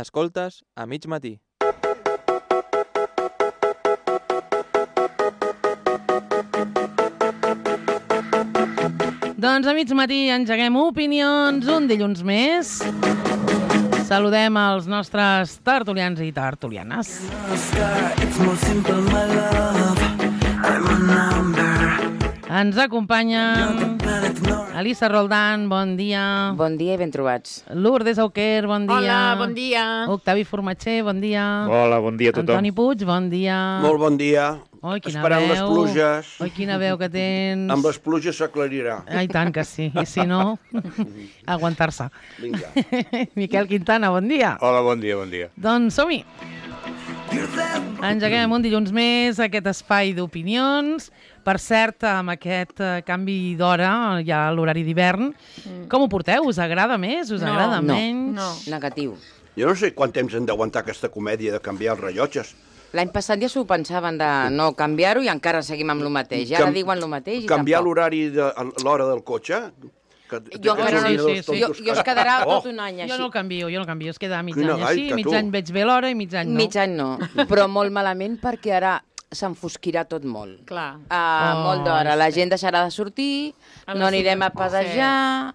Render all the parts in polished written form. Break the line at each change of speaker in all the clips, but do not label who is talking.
Escoltes a mig matí.
Doncs a mig matí engeguem opinions un dilluns més. Saludem els nostres tertulians i tertulianes. Ens acompanya Elisa Roldán, bon dia.
Bon dia i ben trobats.
Lourdes Auquer, bon dia.
Hola, bon dia.
Octavi Formatxer, bon dia.
Hola, bon dia a tothom.
Antoni Puig, bon dia.
Molt bon dia.
Oi, quina
Esperant
veu.
les pluges.
Oi, quina veu que tens.
Amb les pluges s'aclarirà.
Ai, tant que sí. I si no, aguantar-se.
Vinga.
Miquel Quintana, bon dia.
Hola, bon dia, bon dia.
Doncs som-hi. Engeguem un dilluns més aquest espai d'opinions. Per cert, amb aquest canvi d'hora, ja a l'horari d'hivern, com ho porteu? Us agrada més? Us agrada menys?
No.
Negatiu.
Jo no sé quant temps hem d'aguantar aquesta comèdia de canviar els rellotges.
L'any passat ja s'ho pensaven de no canviar-ho i encara seguim amb el mateix. I ara diuen el mateix i
Canviar
tampoc.
l'horari de l'hora del cotxe?
Jo encara no,
sí.
jo es quedarà tot un any així.
Jo no el canvio, es queda mig
Quina
any així,
gaita,
mig
tu.
any veig bé l'hora i mig any no.
Mig any no, però molt malament perquè ara s'enfosquirà tot molt.
Clar.
Molt d'hora. La gent deixarà de sortir,
A
no
les
anirem a
cinc.
passejar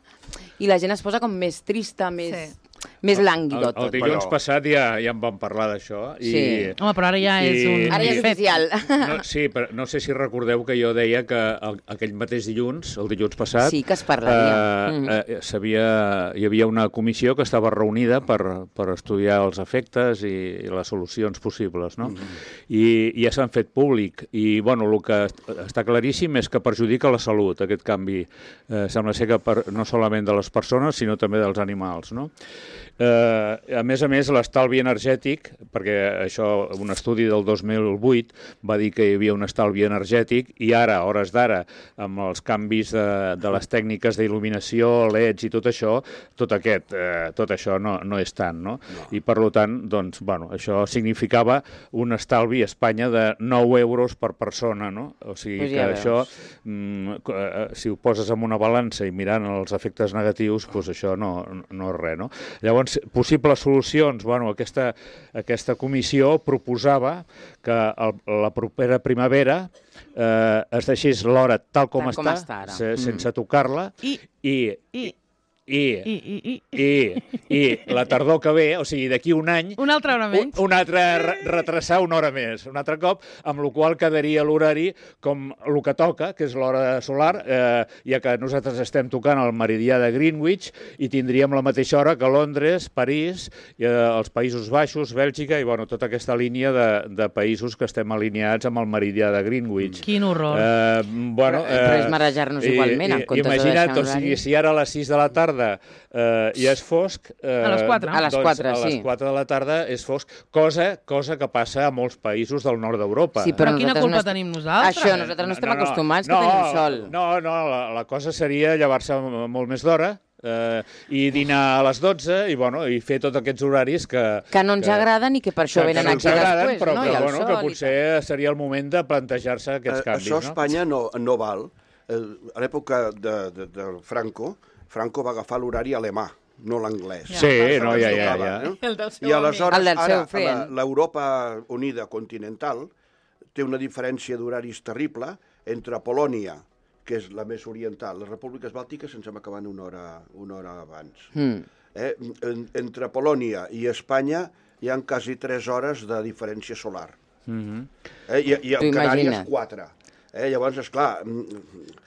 i la gent es posa com més trista, més lànguido
El
tot.
dilluns passat ja en vam parlar d'això.
Sí.
Home, però ara ja és un
Ara ja és
fet.
oficial.
Sí, però no sé si recordeu que jo deia que aquell mateix dilluns, el dilluns passat,
Sí, que es parlaria.
hi havia una comissió que estava reunida per estudiar els efectes i les solucions possibles, no? I ja s'han fet públic. I, bueno, el que està claríssim és que perjudica la salut, aquest canvi. Sembla ser que no solament de les persones, sinó també dels animals, no? A més, l'estalvi energètic, perquè això, un estudi del 2008 va dir que hi havia un estalvi energètic i ara, a hores d'ara, amb els canvis de les tècniques d'il·luminació, LEDs i tot això, tot això no és tant, no? I per tant, doncs, bueno, això significava un estalvi a Espanya de 9 euros per persona, no? O sigui
Pues
que
ja
això, si ho poses en una balança i mirant els efectes negatius, doncs això no és res, no? Llavors, possibles solucions, bueno, aquesta comissió proposava que la propera primavera es deixés l'hora tal com està
ara.
sense tocar-la, i la tardor que ve, o sigui, d'aquí un any...
Una altra hora menys.
Retrasar una hora més, un altre cop, amb la qual quedaria l'horari com el que toca, que és l'hora solar, ja que nosaltres estem tocant el meridià de Greenwich i tindríem la mateixa hora que Londres, París, els Països Baixos, Bèlgica i, bueno, tota aquesta línia de països que estem alineats amb el meridià de Greenwich.
Quin horror.
Però és marejar-nos igualment, en comptes de deixar
imagina't,
un
o sigui,
horari.
si ara a les 6 de la tarda ja és fosc...
A les 4.
A les 4,
a les
sí.
4 de la tarda és fosc, cosa que passa a molts països del nord d'Europa.
Sí,
Però quina
nosaltres
culpa
no est-
tenim nosaltres?
Això, nosaltres no estem acostumats, que tenim sol.
No, la cosa seria llevar-se molt més d'hora i dinar a les 12 i fer tots aquests horaris
Que no ens agraden i que per això venen aquí després,
però
no? I el
que
sol i
potser seria el moment de plantejar-se aquests canvis.
Això a Espanya no val. A l'època de Franco va agafar l'horari alemà, no l'anglès.
Sí, no, ja.
El del seu
I aleshores,
El del seu
ara,
friend.
l'Europa Unida continental té una diferència d'horaris terrible entre Polònia, que és la més oriental, les repúbliques bàltiques ens hem acabat una hora abans. Entre Polònia i Espanya hi ha quasi 3 hores de diferència solar. I a Canàries 4. Llavors, esclar,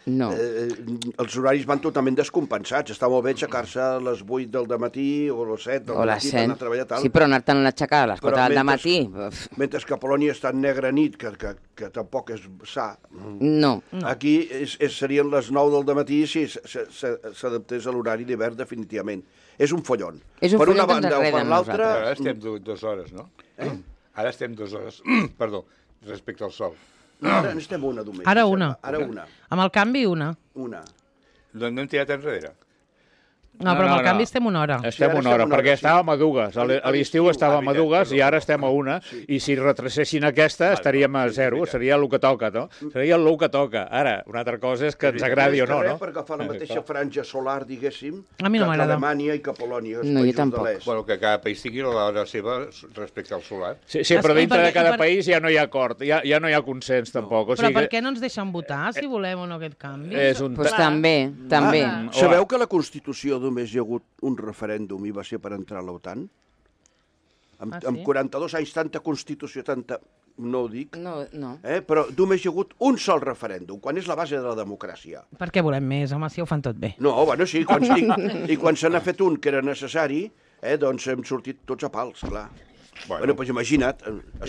els horaris van totalment descompensats. Està molt bé aixecar-se a les 8 del dematí o a les 7 del dematí per anar a treballar tal.
Sí, però anar-te'n a aixecar a les 4 del dematí...
Mentre que a Polònia està negra nit, que tampoc és sa.
No.
Aquí serien les 9 del dematí si s'adaptés a l'horari d'hivern definitivament. És un follon.
És un
per
follon
una
que ens
banda o per
enreden
l'altra...
Ara estem 2 hores, no? Ara estem 2 hores, perdó, respecte al sol.
No, ara n'estem una només.
Ara una.
Ara una.
Amb el canvi, una.
Una.
No hem tirat enrere.
No, però amb el canvi estem una hora.
Estem una hora, perquè estàvem a dues. A l'estiu estàvem a dues i ara estem a una. I si retracessin aquesta, estaríem a 0. Seria el que toca, no? Seria el que toca. Ara, una altra cosa és que ens agradi o no, no?
Per agafar la mateixa franja solar, diguéssim,
A mi no
que
m'agrada.
Alemanya i que Polònia, els
No, jo
països de
tampoc.
l'est.
Bueno, que cada país tingui l'hora seva respecte al solar.
Sí, però dintre de cada
perquè-
país ja no hi ha acord, ja no hi ha consens, tampoc. O
Però
sigui,
per què no ens deixen votar, si volem o no aquest canvi?
és un...
Doncs també, també.
Sabeu que a la Constitució només hi ha hagut un referèndum i va ser per entrar a l'OTAN?
Ah, sí?
Amb 42 anys, tanta Constitució, tanta... No ho dic,
No, no.
però només hi ha hagut un sol referèndum, quan és la base de la democràcia.
Per què volem més, home, si ho fan tot bé?
No, bueno, sí, i quan se n'ha fet un que era necessari, doncs hem sortit tots a pals, clar. Bueno, doncs imagina't, a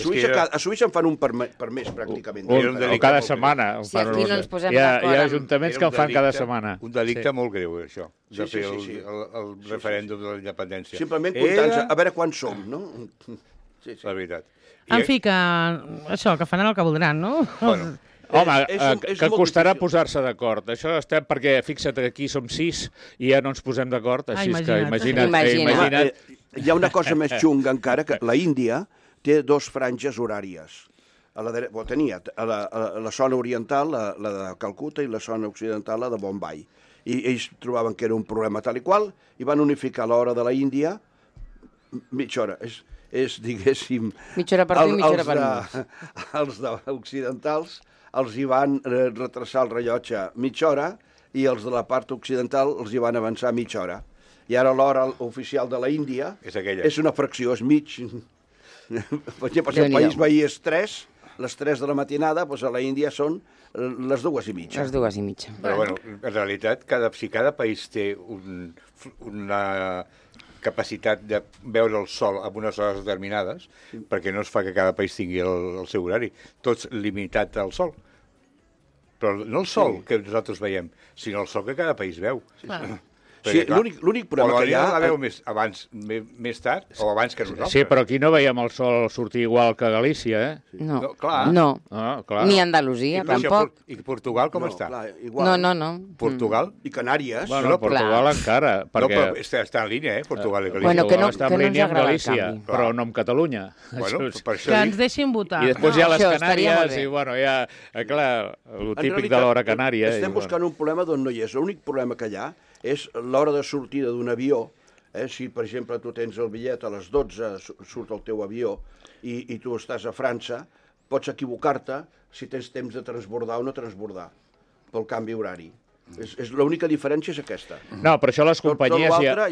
Suïssa en fan un per mes, pràcticament.
O cada setmana.
Si aquí no ens posem
hi ha
d'acord amb-
ajuntaments que el fan cada setmana.
Un delicte molt greu, això, de
Sí,
fer
sí, sí.
el referèndum de la independència.
Simplement comptant a veure quants som, no? Sí, sí.
La veritat.
En fi, que això, que faran el que voldran, no?
Bueno,
Home,
és
que
molt
costarà
difícil.
posar-se d'acord. Això estem perquè, fixa't, aquí som 6 i ja no ens posem d'acord. Així és que imagina't.
Hi ha una cosa més xunga encara, que la Índia té 2 franges horàries. Tenia a la zona oriental, la de Calcuta, i la zona occidental, la de Bombay. I ells trobaven que era un problema tal i qual, i van unificar l'hora de la Índia mitja hora. És diguéssim...
Mitja hora per tu i mitja hora per mi.
Els occidentals els hi van retrasar el rellotge mitja hora i els de la part occidental els hi van avançar mitja hora. I ara l'hora oficial de la Índia és una fracció, és mig. Per exemple, si el país veí és 3, les 3 de la matinada, doncs a la Índia són les 2:30.
Les 2:30.
Però, bueno, en realitat, si cada país té una capacitat de veure el sol a unes hores determinades, perquè no es fa que cada país tingui el seu horari, tots limitat al sol. Però no el sol que nosaltres veiem, sinó el sol que cada país veu.
Sí, l'únic problema que hi ha...
La veu més tard o abans que nosaltres.
Sí, però aquí no veiem el sol sortir igual que a Galícia, eh?
No,
clar.
no.
Clar.
Ni Andalusia, tampoc.
I Portugal com està?
Clar, igual.
No.
Portugal?
I Canàries.
Bueno, Portugal encara,
No,
perquè...
però està en línia, Portugal i Galícia.
Bueno, que no
està
ens
en línia amb
agrada el
Galícia,
canvi.
però no amb Catalunya.
Bueno, per això
Que ens deixin votar.
I després hi ha les
Això estaria molt
Canàries
bé.
i, bueno, hi ha, clar, el
En
típic
realitat,
de l'hora canària.
Estem buscant un problema d'on no hi és. L'únic problema que hi ha és l'hora de sortida d'un avió. Si, per exemple, tu tens el bitllet a les 12, surt el teu avió, i tu estàs a França, pots equivocar-te si tens temps de transbordar o no transbordar pel canvi horari. L'única diferència és aquesta.
No, per això les companyies
tot l'altre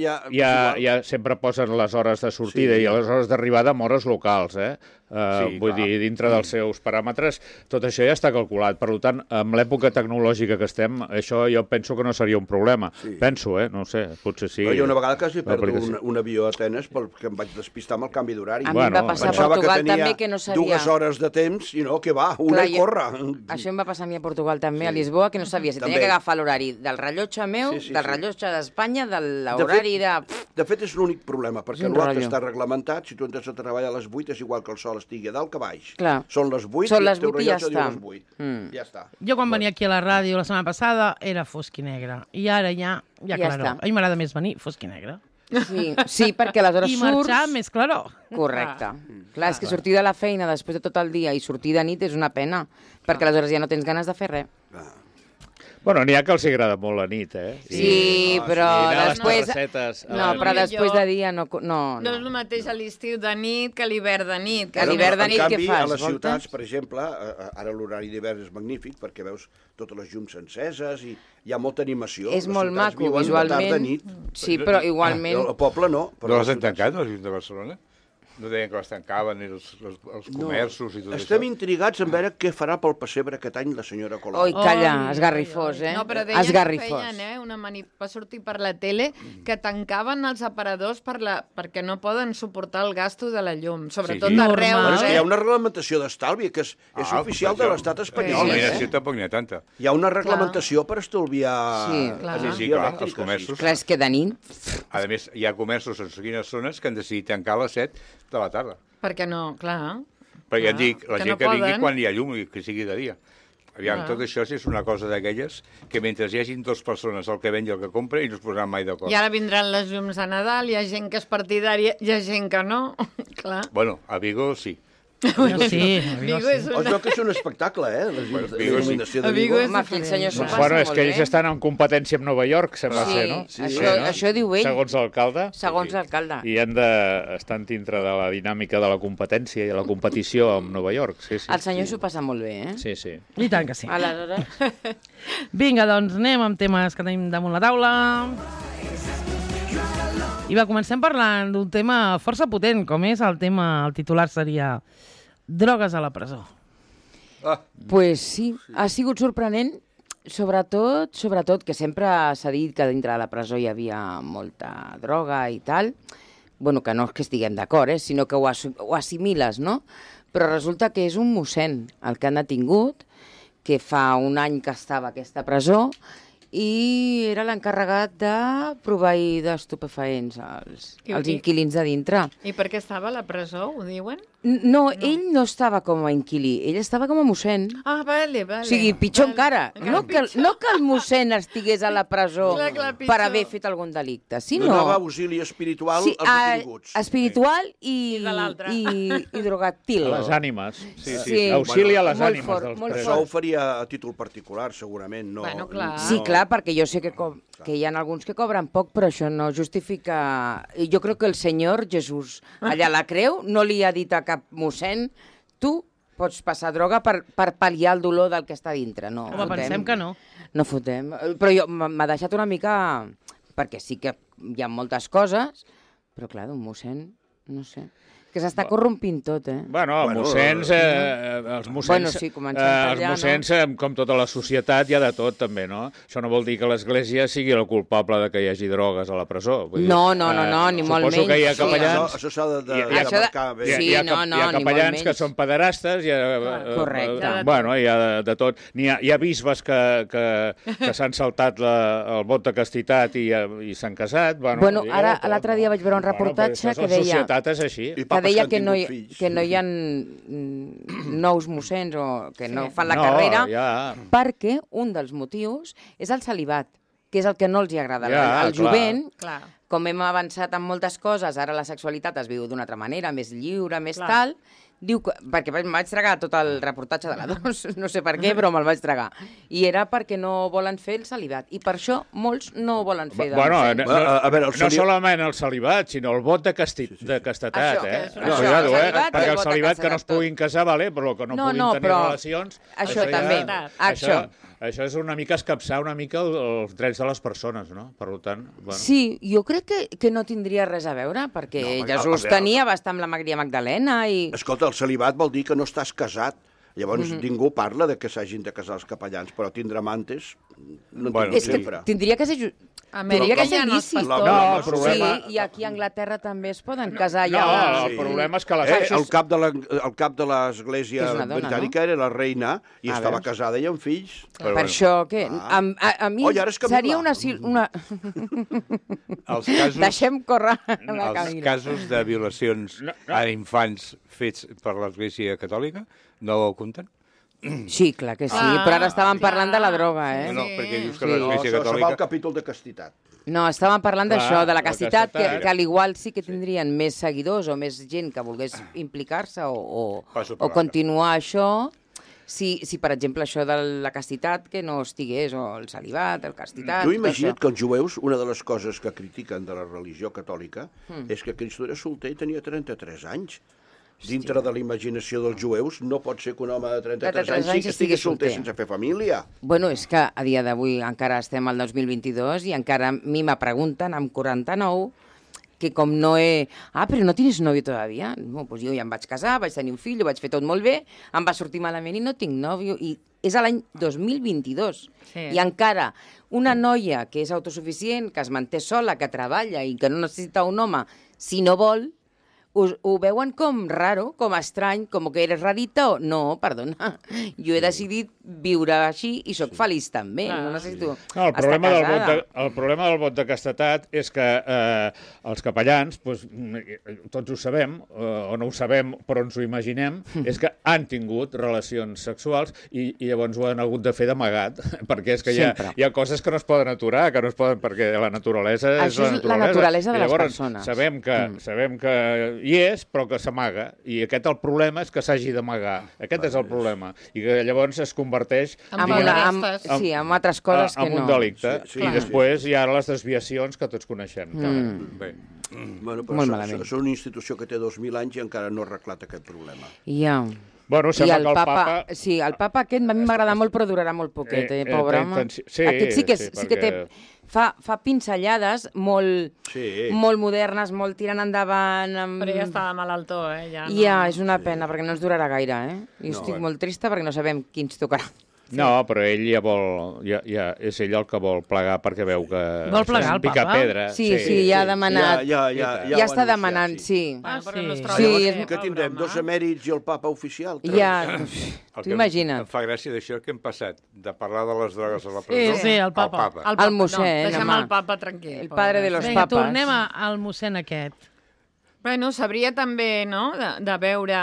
ja sempre posen les hores de sortida i les hores d'arribada amb hores locals, vull dir, dintre dels seus paràmetres, tot això ja està calculat. Per tant, amb l'època tecnològica que estem, això jo penso que no seria un problema. Penso, no sé, potser sí.
Però hi ha una vegada que hi perdo un avió a Atenes perquè em vaig despistar amb el canvi d'horari.
A mi em va passar a Portugal també, que no sabia.
2 hores de temps i no, que va, una i corre.
Això em va passar a mi a Portugal també, a Lisboa, que no sabia si tenia que agafar l'horari del rellotge meu, del rellotge d'Espanya, de l'horari de...
De fet, és l'únic problema, perquè l'altre està reglamentat. Si tu entres a treballar a les 8, és igual que el sol estigui a dalt que a baix.
Clar.
Són les 8
Són les
i el teu
8 i ja
rellotge diu
està.
les 8. Ja està.
Jo quan venia aquí a la ràdio la setmana passada era fosc i negre. I ara ja claror.
està.
A mi m'agrada més venir fosc i negre.
Sí, perquè aleshores
I
surts...
marxar més claror.
Correcte. Clar, és que sortir de la feina després de tot el dia i sortir de nit és una pena, perquè aleshores ja no tens ganes de fer res.
Bueno, n'hi ha que els agrada molt la nit,
Sí, però després... No, però després de dia no...
No és el mateix a l'estiu de nit que a l'hivern de nit.
A l'hivern de nit què fas?
A les ciutats, per exemple, ara l'horari d'hivern és magnífic perquè veus totes les llums enceses i hi ha molta animació.
És molt maco, visualment. Sí, però igualment...
El poble no.
No les han tancat, les llums de Barcelona? No deien que les tancaven, els comerços i tot això?
Estem intrigats en veure què farà pel pessebre aquest any la senyora Colau.
Oi, calla, esgarrifós,
No, però deien
esgarrifós.
que feien, va sortir per la tele, que tancaven els aparadors perquè no poden suportar el gasto de la llum, sobretot arreu.
Però és que hi ha una reglamentació d'estalvi que és oficial de l'estat espanyol.
Sí, tampoc n'hi ha tanta.
Hi ha una reglamentació per estalviar
Sí, clar, els comerços.
Clar, és que de nit...
A més, hi ha comerços en quines zones que han decidit tancar a les 7 de la tarda.
Perquè no, clar.
Perquè ja et dic, la gent que vingui quan hi ha llum i que sigui de dia. Aviam, tot això és una cosa d'aquelles que mentre hi hagin dues persones, el que ven i el que compra, i no es posaran mai d'acord.
I ara vindran les llums de Nadal, hi ha gent que és partidària, hi ha gent que no, clar.
Bueno, a Vigo sí.
Sí,
Vigo és
Es veu que és un espectacle, les llums de
Vigo sí.
il·luminació
A
de
Vigo
Vigo.
és
Home, aquí el senyor s'ho passa
Bueno, és
molt
que
bé.
ells estan en competència amb Nova York, sembla ser, no?
Això diu ell.
Segons l'alcalde.
Segons l'alcalde.
I estan dintre de la dinàmica de la competència i la competició amb Nova York. Sí, sí.
El senyor s'ho passa molt bé, eh?
Sí, sí.
I tant que sí.
Aleshores...
Vinga, doncs anem amb temes que tenim damunt la taula. I va, comencem parlant d'un tema força potent, com és el titular seria drogues a la presó.
Pues sí, ha sigut sorprenent, sobretot que sempre s'ha dit que dintre de la presó hi havia molta droga i tal. Bueno, que no és que estiguem d'acord, sinó que ho assimiles, no? Però resulta que és un mossèn el que han detingut, que fa un any que estava a aquesta presó, i era l'encarregat de proveir d'estupefaents als inquilins de dintre.
I per què estava a la presó, ho diuen?
No, ell no estava com a inquilí, ell estava com a mossèn.
Ah, vale.
O sigui, pitjor encara. No que el mossèn estigués a la presó
Clar,
per haver fet algun delicte, sinó...
Donava auxili espiritual als detinguts.
Espiritual i
de l'altre.
i drogàctil.
A les ànimes. Sí,
Sí.
Auxili a les
Molt
ànimes
fort,
dels
molt
presos.
Això ho faria a títol particular, segurament. No,
Bueno, clar.
Sí, clar, perquè jo sé que hi ha alguns que cobren poc, però això no justifica... Jo crec que el senyor Jesús allà a la creu no li ha dit a cap mossèn tu pots passar droga per pal·liar el dolor del que està dintre. No,
Home, pensem que no.
No fotem. Però m'ha deixat una mica... Perquè sí que hi ha moltes coses, però clar, d'un mossèn, no sé... Que s'està corrompint tot, eh?
Bueno, els mossens,
Bueno, sí, comencem per allà,
mossens, com tota la societat, hi ha de tot, també, no? Això no vol dir que l'Església sigui el culpable de que hi hagi drogues a la presó. Vull dir,
No, ni molt menys.
Suposo que hi ha
Sí,
capellans...
Això s'ha de
Això de-
marcar bé.
Sí,
hi ha
no,
hi ha
ni molt
capellans que
menys.
són pederastes, hi ha,
Correcte.
bueno, hi ha de tot. Hi ha bisbes que s'han saltat el vot de castitat i s'han casat.
Bueno,
hi ha
ara
de tot,
l'altre dia vaig veure un reportatge que
La
deia...
societat és així.
I
Que
papes
deia
han
que no
tingut fills.
hi ha nous mossens o que no fan la
No,
carrera
ja.
perquè un dels motius és el celibat, que és el que no els hi agrada.
Ja,
al
clar.
jovent,
Clar.
com hem avançat en moltes coses, ara la sexualitat es viu d'una altra manera, més lliure, més
Clar.
tal, diu que, perquè em vaig tragar tot el reportatge de la 2, no sé per què, però me'l vaig tragar. I era perquè no volen fer el celibat. I per això molts no volen fer de
Bueno,
mossèn.
A veure,
no solament el celibat, sinó el vot de castetat,
Això,
eh?
això,
No, cuidado,
el celibat i
perquè
el
el
vot de
celibat que no es
castedat,
puguin casar, vale, però que no
No,
puguin
no,
tenir
però
relacions...
això
ja-
també,
Això és una mica escapçar una mica els drets de les persones, no? Per tant, bueno...
Sí, jo crec que no tindria res a veure, perquè
No, perquè,
Jesús
a veure,
tenia bastant amb la Maria Magdalena i...
Escolta, el celibat vol dir que no estàs casat. Llavors, ningú parla de que s'hagin de casar els capellans, però tindre amantes no en
Bueno,
És que
sempre.
tindria que ser...
A
Tindria que ser
hi ha els
lícit.
pastors.
No, el problema...
Sí, i aquí a Anglaterra també es poden casar
No,
ja.
el problema és que les...
El cap de l'Església
Que és una dona,
britànica era la reina i estava
veus?
casada i amb fills.
Per això, què? A mi
Oi, ara és Camila.
seria una...
Els casos,
Deixem córrer la
els
Camila.
casos de violacions a infants fets per l'Església Catòlica no ho compten?
Sí, clar que sí, però ara estàvem parlant de la droga, eh?
No, perquè dius que
Sí.
No,
l'Església
això va al
Catòlica...
capítol de castitat.
No, estàvem parlant
Clar,
d'això, de la
la
castitat,
castetat.
que a l'igual sí que tindrien més seguidors o més gent que volgués implicar-se o
Passo per
continuar això, si, per exemple, això de la castitat que no estigués, o el celibat, el castitat...
Tu
tot
imagina't
això.
que els jueus, una de les coses que critiquen de la religió catòlica és que Cristo era solter i tenia 33 anys. Dintre de la imaginació dels jueus no pot ser que un home de 33 anys
anys
estigui
estigui
solter
solter.
sense fer família.
Bueno, és que a dia d'avui encara estem al 2022 i encara a mi me pregunten, amb 49, que com no he... Ah, però no tienes novio todavía? No, pues jo ja em vaig casar, vaig tenir un fill, ho vaig fer tot molt bé, em va sortir malament i no tinc nòvio. I és a l'any 2022.
Sí.
I encara una noia que és autosuficient, que es manté sola, que treballa i que no necessita un home, si no vol, ho veuen com raro, com estrany, com que eres rarita o... No, perdona, jo he decidit viure així i sóc feliç també. No necessito
el
estar casada.
El problema del vot de castetat és que els capellans, doncs, tots ho sabem, o no ho sabem però ens ho imaginem, és que han tingut relacions sexuals i llavors ho han hagut de fer d'amagat, perquè és que hi ha coses que no es poden aturar, que no es poden, perquè la naturalesa és la naturalesa.
La naturalesa de les
llavors,
persones.
Sabem que hi és, però que s'amaga. I el problema és que s'hagi d'amagar. Aquest és el problema. I que llavors es converteix
en altres coses que no.
En un delicte. I després hi ha les desviacions que tots coneixem.
Bé. Bueno, però és una institució que té 2.000 anys i encara no ha arreglat aquest problema.
Ja.
Bueno, sembla que el Papa...
Sí, el Papa aquest a mi m'agrada molt, però durarà molt poquet, pobre home. Aquest sí que té... Fa pinzellades molt modernes, molt tirant endavant.
Però ja està malaltó,
Ja, és una pena, perquè no ens durarà gaire, Jo estic molt trista perquè no sabem qui ens tocarà.
No, però ell ja vol... és ell el que vol plegar perquè veu que...
Vol plegar el Papa?
Pedra.
Sí, ja ha demanat. Ja està demanant, sí.
Que tindrem 2 emèrits i el Papa oficial.
Ja, t'ho imagines.
Em fa gràcia d'això que hem passat, de parlar de les drogues a la presó.
Sí, el Papa.
El mossèn,
deixem el Papa tranquil.
El padre de los papas.
Vinga, tornem al mossèn aquest.
Bueno, sabria també, no?, de veure...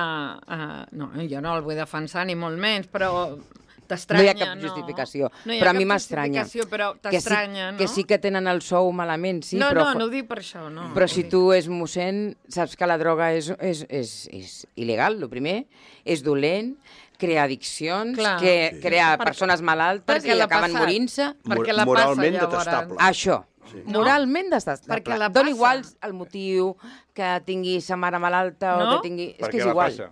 No, jo no el vull defensar, ni molt menys, però...
No hi ha cap justificació, però a mi m'estranya.
Però t'estranya, no?
Que sí que tenen el sou malament, sí,
no,
però...
No ho dic per això, no.
Però si tu és mossèn, saps que la droga és il·legal, el primer, és dolent, crea addiccions, crea persones malaltes i acaben morint-se.
Moralment detestable.
Això. Moralment detestable. Dona igual el motiu, que tingui sa mare malalta o que tingui... És que és igual.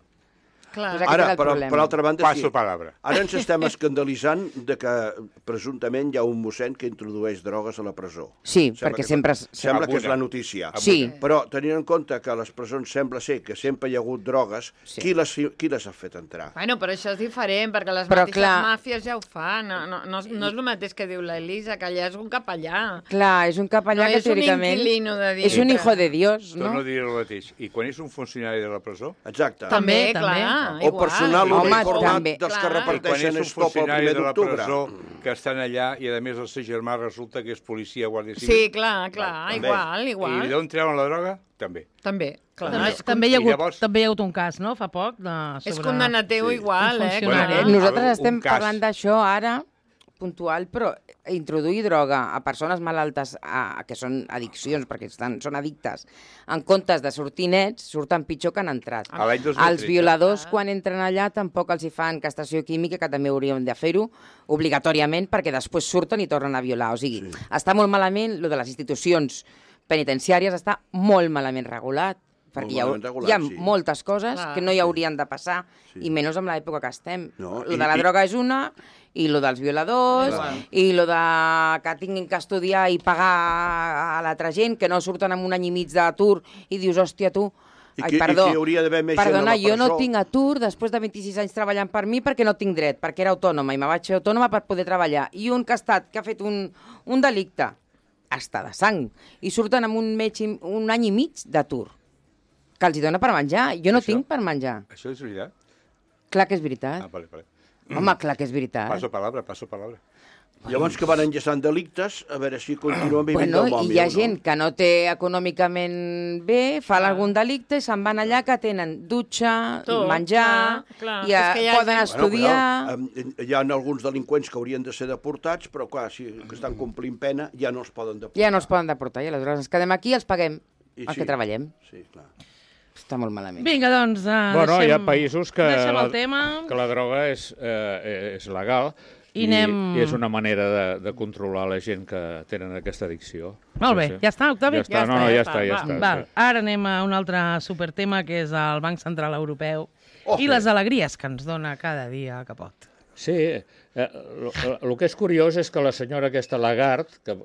Ara, per altra banda,
passo palabra.
Ara ens estem escandalitzant de que presumptament hi ha un mossèn que introdueix drogues a la presó.
Sí, perquè sempre...
Sembla que és la notícia.
Sí.
Però tenint en compte que a les presons sembla ser que sempre hi ha hagut drogues, qui les ha fet entrar?
Bueno, però això és diferent, perquè les mateixes màfies ja ho fan. No és el mateix que diu l'Elisa, que allà és un capellà.
Clar, és un capellà que teòricament...
No és un inquilino de dir.
És un hijo de Dios, no?
Torno a dir el mateix. I quan és un funcionari de la presó?
Exacte.
També, clar.
O personal uniformat dels que reparteixen estop el 1 d'octubre.
Presó que estan allà i a més el seu germà resulta que és policia guàrdia civil.
Sí, clar, igual.
I d'on treuen la droga? També.
Clar.
També hi ha hagut un cas, no?, fa poc.
És condemnatiu igual,
Nosaltres estem parlant d'això ara, puntual, però introduir droga a persones malaltes que són addiccions, perquè són addictes, en comptes de sortir nets, surten pitjor que han entrat. Els violadors, quan entren allà, tampoc els hi fan castració química, que també hauríem de fer-ho obligatòriament, perquè després surten i tornen a violar. O sigui, està molt malament, lo de les institucions penitenciàries està molt malament regulat, perquè hi ha moltes coses que no hi haurien de passar, i menys amb l'època que estem. Lo de la droga és una, i lo dels violadors, i lo de que tinguin que estudiar i pagar a l'altra gent, que no surten amb un any i mig d'atur, i dius, hòstia, tu... Perdona, jo no tinc atur després de 26 anys treballant per mi perquè no tinc dret, perquè era autònoma, i me vaig fer autònoma per poder treballar. I un que ha fet un delicte, està de sang, i surten amb un any i mig d'atur, que els dona per menjar. Jo no tinc per menjar.
Això és veritat?
Clar que és veritat.
Vale.
Home, clar que és veritat.
Passo palabra.
Llavors que van enllaçant delictes, a veure si continuen vivint del mòbil.
I hi ha gent que no té econòmicament bé, fa algun delicte i se'n van allà que tenen dutxa, menjar, i poden estudiar...
Hi ha alguns delinqüents que haurien de ser deportats, però clar, si estan complint pena, ja no els poden deportar.
Ja no els poden deportar, i aleshores ens quedem aquí i els paguem perquè treballem.
Sí, clar.
Està molt malament.
Vinga, doncs,
hi ha països que
la
droga és legal i és una manera de controlar la gent que tenen aquesta addicció.
Molt bé, ja està, Octavi?
Ja està.
Ara anem a un altre supertema, que és el Banc Central Europeu i les alegries que ens dona cada dia que pot.
Sí, el que és curiós és que la senyora aquesta Lagarde, que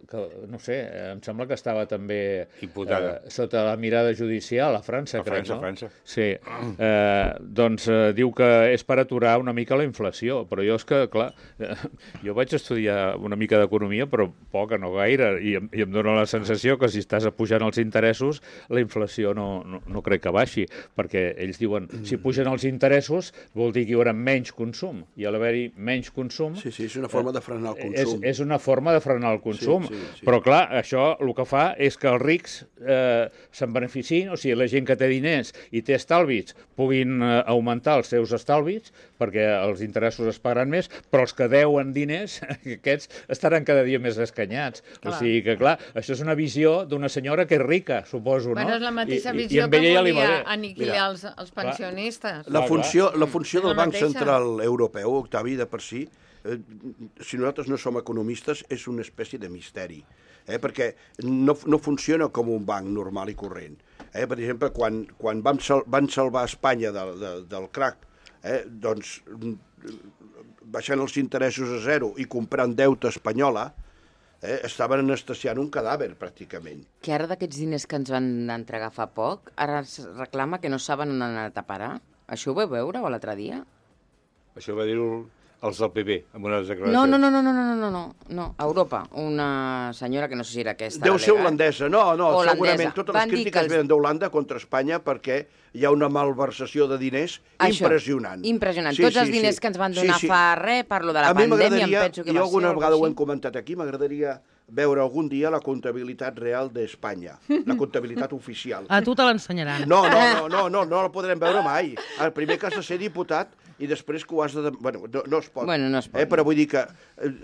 no sé, em sembla que estava també
imputada
sota la mirada judicial a França, crec, no?
A França.
Sí, doncs diu que és per aturar una mica la inflació, però jo és que, clar, jo vaig estudiar una mica d'economia, però poca, no gaire, i em dóna la sensació que si estàs pujant els interessos, la inflació no crec que baixi, perquè ells diuen, si pugen els interessos, vol dir que hi haurà menys consum, i a l'haver-hi menys consum...
Sí, és una forma de frenar el consum.
És una forma de frenar el consum,
sí.
però clar, això el que fa és que els rics se'n beneficien, o sigui, la gent que té diners i té estalvis puguin augmentar els seus estalvis, perquè els interessos es pagaran més, però els que deuen diners, aquests estaran cada dia més escanyats. Clar. O sigui que, clar, això és una visió d'una senyora que és rica, suposo, no?
Bueno, és la mateixa visió que volia aniquilar els pensionistes.
La funció del Banc Central Europeu, Octavi, de per si, si nosaltres no som economistes, és una espècie de misteri, perquè no funciona com un banc normal i corrent. Per exemple, quan van salvar Espanya del crac, doncs baixant els interessos a zero i comprant deute espanyola, estaven anestesiant un cadàver, pràcticament.
Que ara d'aquests diners que ens van entregar fa poc, ara es reclama que no saben on han anat a parar. Això ho vau veure l'altre dia?
Això va dir-ho els del PP, amb unes declaracions.
No, a Europa. Una senyora que no sé si era aquesta.
Deu ser holandesa. No, segurament totes les crítiques venen d'Holanda contra Espanya perquè hi ha una malversació de diners impressionant.
Impressionant. Tots els diners que ens van donar fa res, parlo de la pandèmia, em penso que va ser.
Jo alguna vegada ho hem comentat aquí, m'agradaria veure algun dia la comptabilitat real d'Espanya, la comptabilitat oficial.
A tu te l'ensenyaran.
No la podrem veure mai. El primer que has de ser diputat i després que ho has de... Bueno, no es pot.
No es pot.
Però vull dir que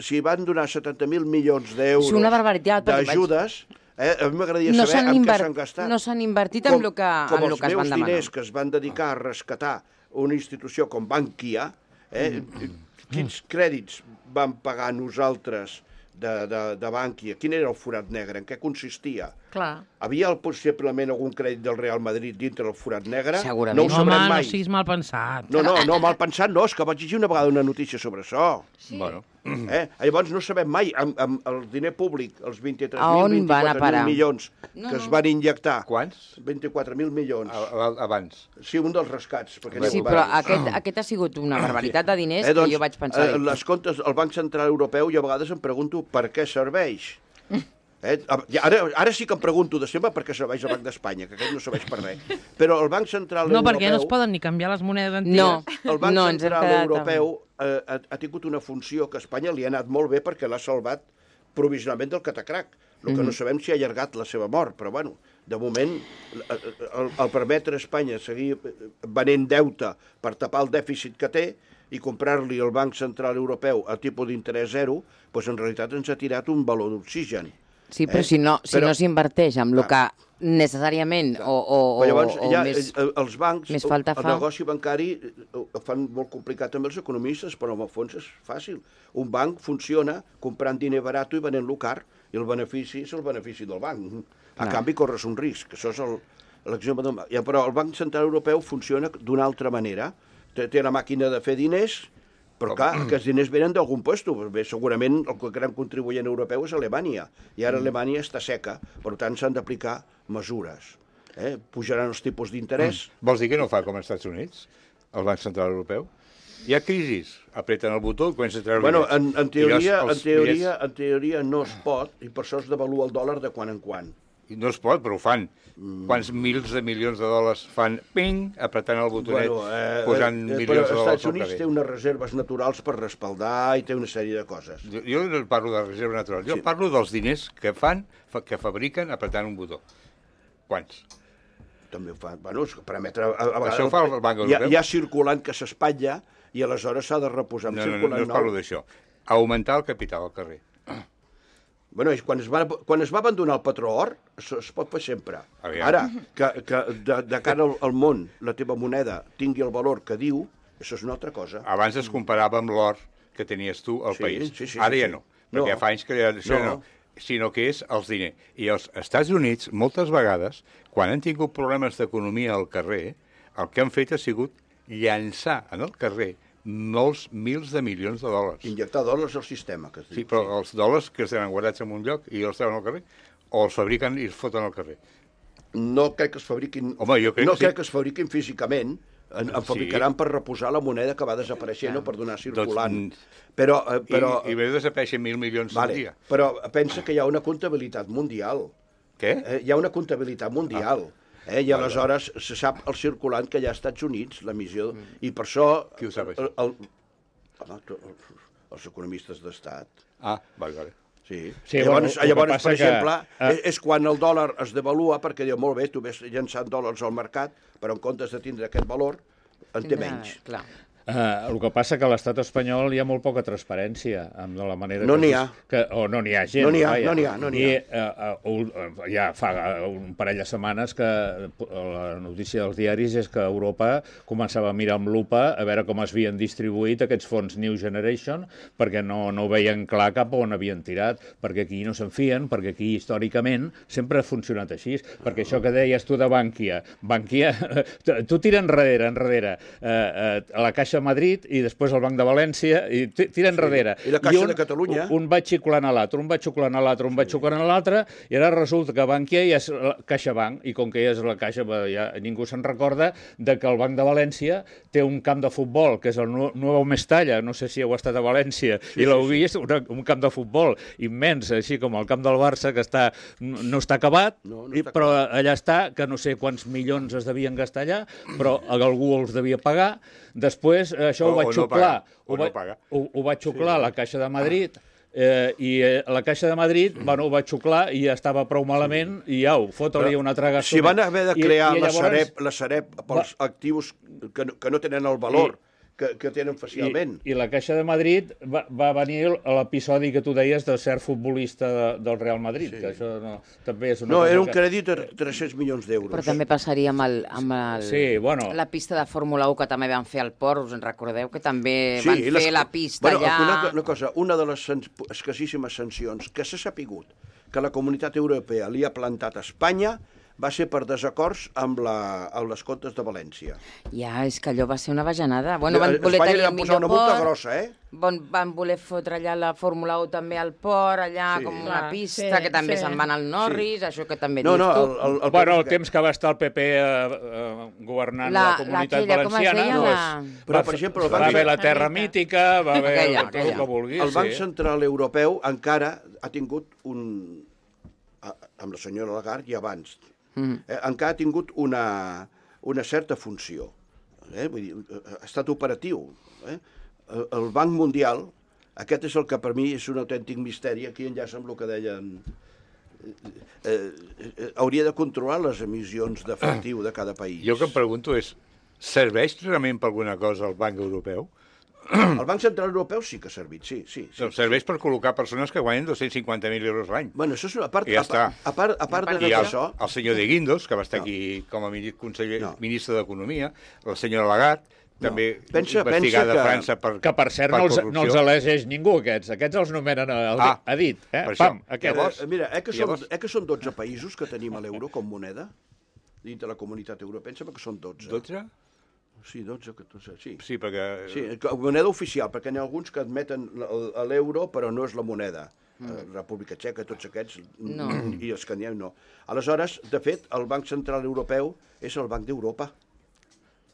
si van donar 70.000 milions d'euros d'ajudes, a mi m'agradaria saber en què s'han gastat.
No s'han invertit en el que es van demanar. Com els meus diners
que es van dedicar a rescatar una institució com Bankia, quins crèdits van pagar nosaltres de Bankia? Quin era el forat negre? En què consistia?
Clar.
Havia possiblement algun crèdit del Real Madrid dintre del forat negre?
Segurament.
No ho sabrem mai.
No siguis mal pensat.
No, mal pensat no, és que vaig llegir una vegada una notícia sobre això.
Sí.
Bueno.
Llavors no sabem mai, amb el diner públic, els 23.000, 24.000 milions que es van injectar.
Quants?
24.000 milions.
Abans.
Sí, un dels rescats.
Sí, però aquest ha sigut una barbaritat de diners que jo vaig pensar.
Les comptes, el Banc Central Europeu, jo a vegades em pregunto per què serveix. Ara sí que em pregunto de sempre per què serveix el Banc d'Espanya, que aquest no serveix per res. Però el Banc Central Europeu...
No, perquè no es poden ni canviar les monedes antigues.
El Banc Central Europeu ha tingut una funció que a Espanya li ha anat molt bé perquè l'ha salvat provisionalment del catacrac. El que no sabem si ha allargat la seva mort, però bueno, de moment, el permetre a Espanya seguir venent deute per tapar el dèficit que té i comprar-li al Banc Central Europeu a tipus d'interès zero, doncs en realitat ens ha tirat un baló d'oxigen.
Sí, però si no s'inverteix amb el que necessàriament o
els bancs,
més falta fa...
El negoci bancari ho fan molt complicat també els economistes, però en el fons és fàcil. Un banc funciona comprant diner barat i venent-lo car, i el benefici és el benefici del banc. A canvi corres un risc, això és l'exemple del banc. Però el Banc Central Europeu funciona d'una altra manera. Té la màquina de fer diners, però clar, aquests diners venen d'algun lloc. Bé, segurament el gran contribuent europeu és Alemanya, i ara Alemanya està seca, per tant s'han d'aplicar mesures. Pujaran els tipus d'interès.
Vols dir que no fa com als Estats Units, el Banc Central Europeu? Hi ha crisis, apreten el botó i comença a treure...
Bueno, en teoria no es pot, i per això es devalua el dòlar de quan en quan.
I no es pot, però ho fan. Quants mils de milions de dòlars fan, ping, apretant el botonet, posant milions de dòlars al carrer.
Però els Estats Units té unes reserves naturals per respaldar i té una sèrie de coses.
Jo no parlo de reserva natural, jo parlo dels diners que fan, que fabriquen apretant un botó. Quants?
També ho fan. Bueno, per emetre...
Això ho fa el Banc Europeu?
Hi ha circulant que s'espatlla i aleshores s'ha de reposar amb circulant nou.
No parlo d'això. Augmentar el capital al carrer.
Bueno, quan es va abandonar el patró or, es pot fer sempre. Ara, que de cara al món la teva moneda tingui el valor que diu, això és una altra cosa.
Abans es comparava amb l'or que tenies tu al país. Ara ja no, perquè fa anys que això no, sinó que és els diners. I els Estats Units, moltes vegades, quan han tingut problemes d'economia al carrer, el que han fet ha sigut llançar en el carrer molts mils de milions de dòlars.
Injectar dòlars al sistema, que es diu.
Sí, però els dòlars que es tenen guardats en un lloc i els treuen al carrer, o els fabriquen i els foten al carrer?
No crec que es fabriquin...
Home, jo crec
no
que sí.
crec que es fabriquin físicament. En fabricaran per reposar la moneda que va desapareixent o per donar circulant. Però...
I ve desapareixen 1.000 milions al dia.
Però pensa que hi ha una comptabilitat mundial.
Què?
Hi ha una comptabilitat mundial. I aleshores se sap el circulant que hi ha als Estats Units, l'emissió, i per això...
Qui ho sap, això?
Els economistes d'estat.
Ah, vale.
Sí.
Sí,
llavors, per exemple,
que...
és quan el dòlar es devalua, perquè diu, molt bé, tu ves llançant dòlars al mercat, però en comptes de tindre aquest valor, en té menys.
Clar.
El que passa que a l'estat espanyol hi ha molt poca transparència amb la manera
no n'hi ha.
O no n'hi ha gent.
No n'hi ha,
vaja.
no n'hi ha.
I ja fa un parell de setmanes que la notícia dels diaris és que Europa començava a mirar amb lupa a veure com es havien distribuït aquests fons New Generation, perquè no veien clar cap on havien tirat, perquè aquí no se'n fien, perquè aquí històricament sempre ha funcionat així, perquè això que deies tu de Bankia, tu tira enrere, a la Caixa de Madrid i després al Banc de València i tira enrere.
I la Caixa de Catalunya.
Un va xiclant a l'altre, un va xuclant a l'altre, i ara resulta que Bankia ja és la CaixaBank, i com que ja és la Caixa, ja ningú se'n recorda de que el Banc de València té un camp de futbol, que és el Nou Mestalla, no sé si heu estat a València, i l'heu vist, un camp de futbol immens, així com el camp del Barça, que no està acabat, però allà està, que no sé quants milions es devien gastar allà, però algú els devia pagar. Després això ho vaig xuclar. Ho vaig xuclar a la Caixa de Madrid, i la Caixa de Madrid ho vaig xuclar i ja estava prou malament i fota-li una traga.
Si van haver de crear la Sareb pels actius que no tenen el valor que tenen facialment.
I la Caixa de Madrid va venir a l'episodi que tu deies de cert futbolista del Real Madrid, que això també és una cosa...
No, era un crèdit de 300 milions d'euros.
Però també passaria amb la pista de Fórmula 1 que també van fer al port, us en recordeu? Que també van fer la pista allà...
Una cosa, una de les escassíssimes sancions que s'ha sapigut que la Comunitat Europea li ha plantat a Espanya va ser per desacords amb les Contes de València.
Ja, és que allò va ser una bajanada. Bueno, van voler
Espanya
tenir
li van posar una multa grossa,
Van voler fotre allà la Fórmula 1 també al port, allà com una pista, que també se'n van al Norris, això que també dius tu.
Bueno, el temps que va estar el PP governant la Comunitat Valenciana,
però, per exemple,
va haver la Terra Mítica, va haver tot el que vulguis.
El Banc Central Europeu encara ha tingut amb la senyora Lagarde i abans, encara ha tingut una certa funció. Vull dir, ha estat operatiu. El Banc Mundial, aquest és el que per mi és un autèntic misteri, aquí enllaça amb el que deien... Hauria de controlar les emissions d'efectiu de cada país.
Jo el que em pregunto és, serveix realment per alguna cosa el Banc Europeu?
El Banc Central Europeu sí que ha servit, sí.
Serveix per col·locar persones que guanyen 250.000 euros l'any.
Bueno, això és una part...
I ja està.
A part de això...
El senyor de Guindos, que va estar aquí com a ministre d'Economia, la senyora Lagarde, també investigada a França per
que per cert no els elegeix ningú, aquests els nomenen a dit.
Mira, que són 12 països que tenim a l'euro com moneda dins de la Comunitat Europea, em sembla que són 12.
12?
Sí, 12, 14, sí.
Sí, perquè...
Sí, moneda oficial, perquè n'hi ha alguns que admeten l'euro, però no és la moneda. República Txeca, tots aquests, i els escandinaus no. Aleshores, de fet, el Banc Central Europeu és el Banc d'Europa.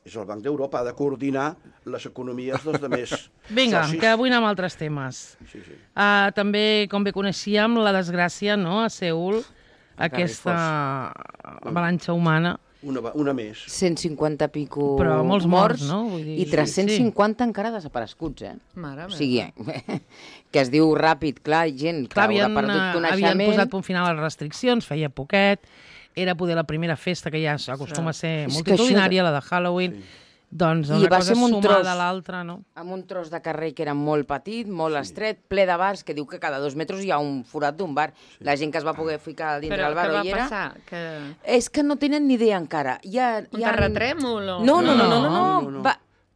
És el Banc d'Europa, ha de coordinar les economies dels altres socis.
Vinga, que avui anem a altres temes. També, com bé coneixíem, la desgràcia a Seül, aquesta avalanxa humana.
Una més.
150 pico
però molts morts, no?
Vull dir, i 350 encara desapareguts,
Mare meva.
O sigui, que es diu ràpid, clar, gent que haurà perdut coneixement.
Havien posat punt final a les restriccions, feia poquet, era poder la primera festa que ja acostuma a ser multitudinària, la de Halloween, doncs una cosa sumada a l'altra, no?
Amb un tros de carrer que era molt petit, molt estret, ple de bars, que diu que cada 2 metres hi ha un forat d'un bar. La gent que es va poder ficar dintre del bar
Però
hi
què va
era...
passar?
És que no tenen ni idea encara.
Un terratrèmol?
No.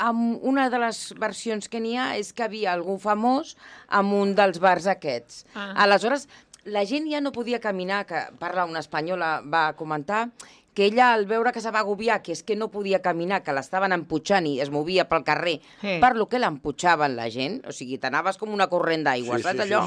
Amb una de les versions que n'hi ha és que havia algú famós amb un dels bars aquests. Aleshores, la gent ja no podia caminar, que parla una espanyola, va comentar que ella, al veure que se va agobiar, que és que no podia caminar, que l'estaven emputxant i es movia pel carrer, per lo que l'emputxaven la gent, o sigui, t'anaves com una corrent d'aigua, saps allò?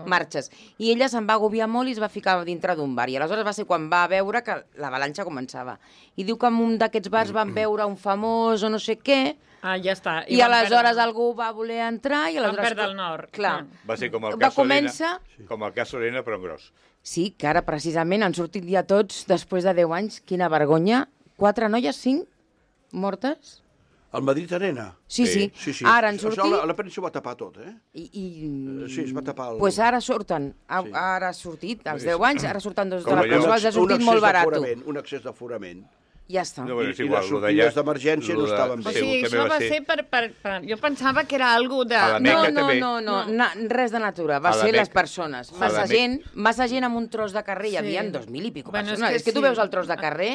Marxes. I ella se'n va agobiar molt i es va ficar dintre d'un bar. I aleshores va ser quan va veure que l'avalanxa començava. I diu que en un d'aquests bars van veure un famós o no sé què,
ja està.
i aleshores algú va voler entrar i aleshores...
Van perdre el nord.
Clar.
Va ser com el cas Lorena, com el cas Lorena, però en gros.
Sí, que ara precisament han sortit ja tots, després de 10 anys, quina vergonya. 4 noies, 5 mortes?
Al Madrid Arena?
Sí. Ara han sortit...
Això la premsa ho va tapar tot, eh? Sí, es va tapar...
Pues ara surten, ara ha sortit, als 10 anys, ara surten dos de la presó, ha sortit molt barat.
Un accés d'aforament.
Ja està.
No, bueno,
I les sortides d'emergència no estaven
O
bé.
sigui, això va ser per... Jo pensava que era algo de...
No, res de natura. Va ser les persones. Massa gent amb un tros de carrer. Hi havia 2.000 i pico persones. És que tu veus el tros de carrer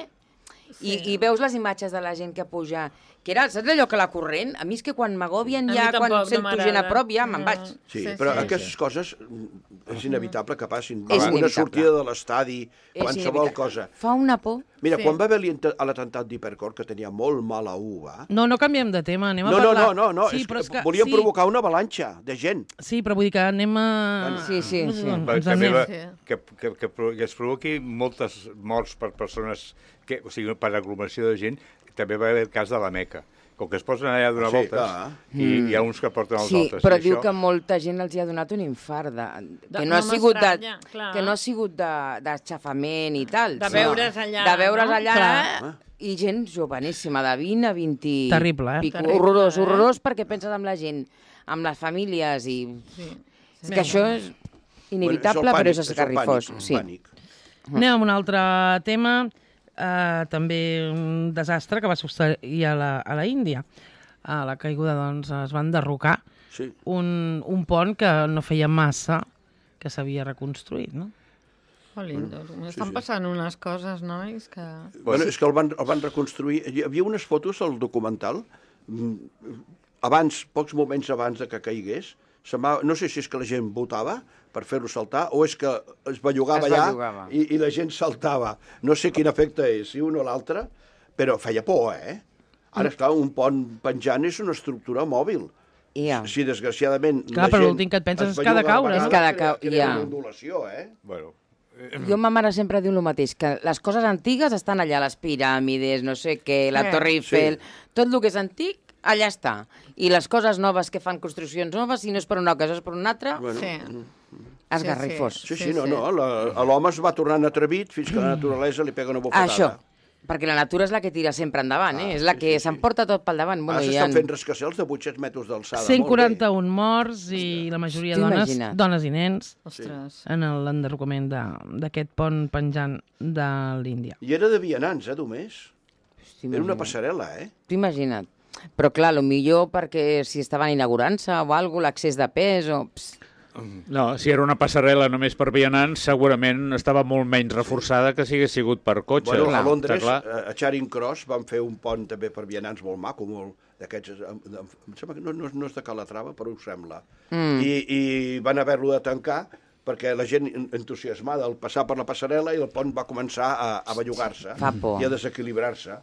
i veus les imatges de la gent que puja... Que era, saps allò que la corrent? A mi és que quan m'agobien ja, quan sento gent a prop, ja me'n vaig.
Sí, però aquestes coses és inevitable que passin. Una sortida de l'estadi, qualsevol cosa.
Fa una por.
Mira, quan va haver l'atemptat d'Hipercor, que tenia molt mala uva...
No canviem de tema, anem a parlar...
No, volíem provocar una avalanxa de gent.
Sí, però vull dir que anem a...
Sí.
També que es provoqui moltes morts per persones, o sigui, per aglomeració de gent, també va haver el cas de la Meca. Com que es posen allà a donar voltes, i hi ha uns que porten els altres.
Sí, però diu que molta gent els hi ha donat un infart, que no ha sigut d'aixafament i tal.
De veure's allà.
De veure's allà, i gent joveníssima, de 20 a 20...
Terrible, eh?
Horrorós, perquè penses amb la gent, amb les famílies, i... És que això és inevitable, però és esgarrifós.
Anem a un altre tema... també un desastre que va succeir a la Índia. A la caiguda, doncs, es van derrocar un pont que no feia massa que s'havia reconstruït, no?
Estan passant unes coses, nois, que...
Bueno, és que el van reconstruir. Hi havia unes fotos al documental, pocs moments abans de que caigués. No sé si és que la gent votava per fer-lo saltar, o és que es bellugava allà i la gent saltava. No sé quin efecte és, si un o l'altre, però feia por, eh? Ara, esclar, un pont penjant és una estructura mòbil. Si desgraciadament
la gent l'últim que et penses és que ha de caure.
És que ha de caure,
una ondulació, eh?
Bueno...
Jo, ma mare sempre diu el mateix, que les coses antigues estan allà, les piràmides, no sé què, la Torre Eiffel, tot el que és antic, allà està. I les coses noves que fan construccions noves, si no és per una cosa, és per una altra, esgarrifós.
Sí, l'home es va tornant atrevit fins que la naturalesa li pega una bofetada.
Això, perquè la natura és la que tira sempre endavant, és la que s'emporta tot pel davant.
S'estan fent rascacielos de 800 metres d'alçada.
141 morts i la majoria dones i nens en l'enderrocament d'aquest pont penjant de l'Índia.
I era de vianants, només. Era una passarel·la,
T'ho imagina't. Però clar, millor perquè si estaven inaugurant-se o alguna cosa, l'accés de pes o...
No, si era una passarel·la només per vianants, segurament estava molt menys reforçada que si hagués sigut per cotxe.
Bueno, a Londres, a Charing Cross, van fer un pont també per vianants molt maco, molt d'aquests... Em sembla que no és de Calatrava, però ho sembla. I van haver-lo de tancar perquè la gent entusiasmada al passar per la passarel·la i el pont va començar a bellugar-se i a desequilibrar-se.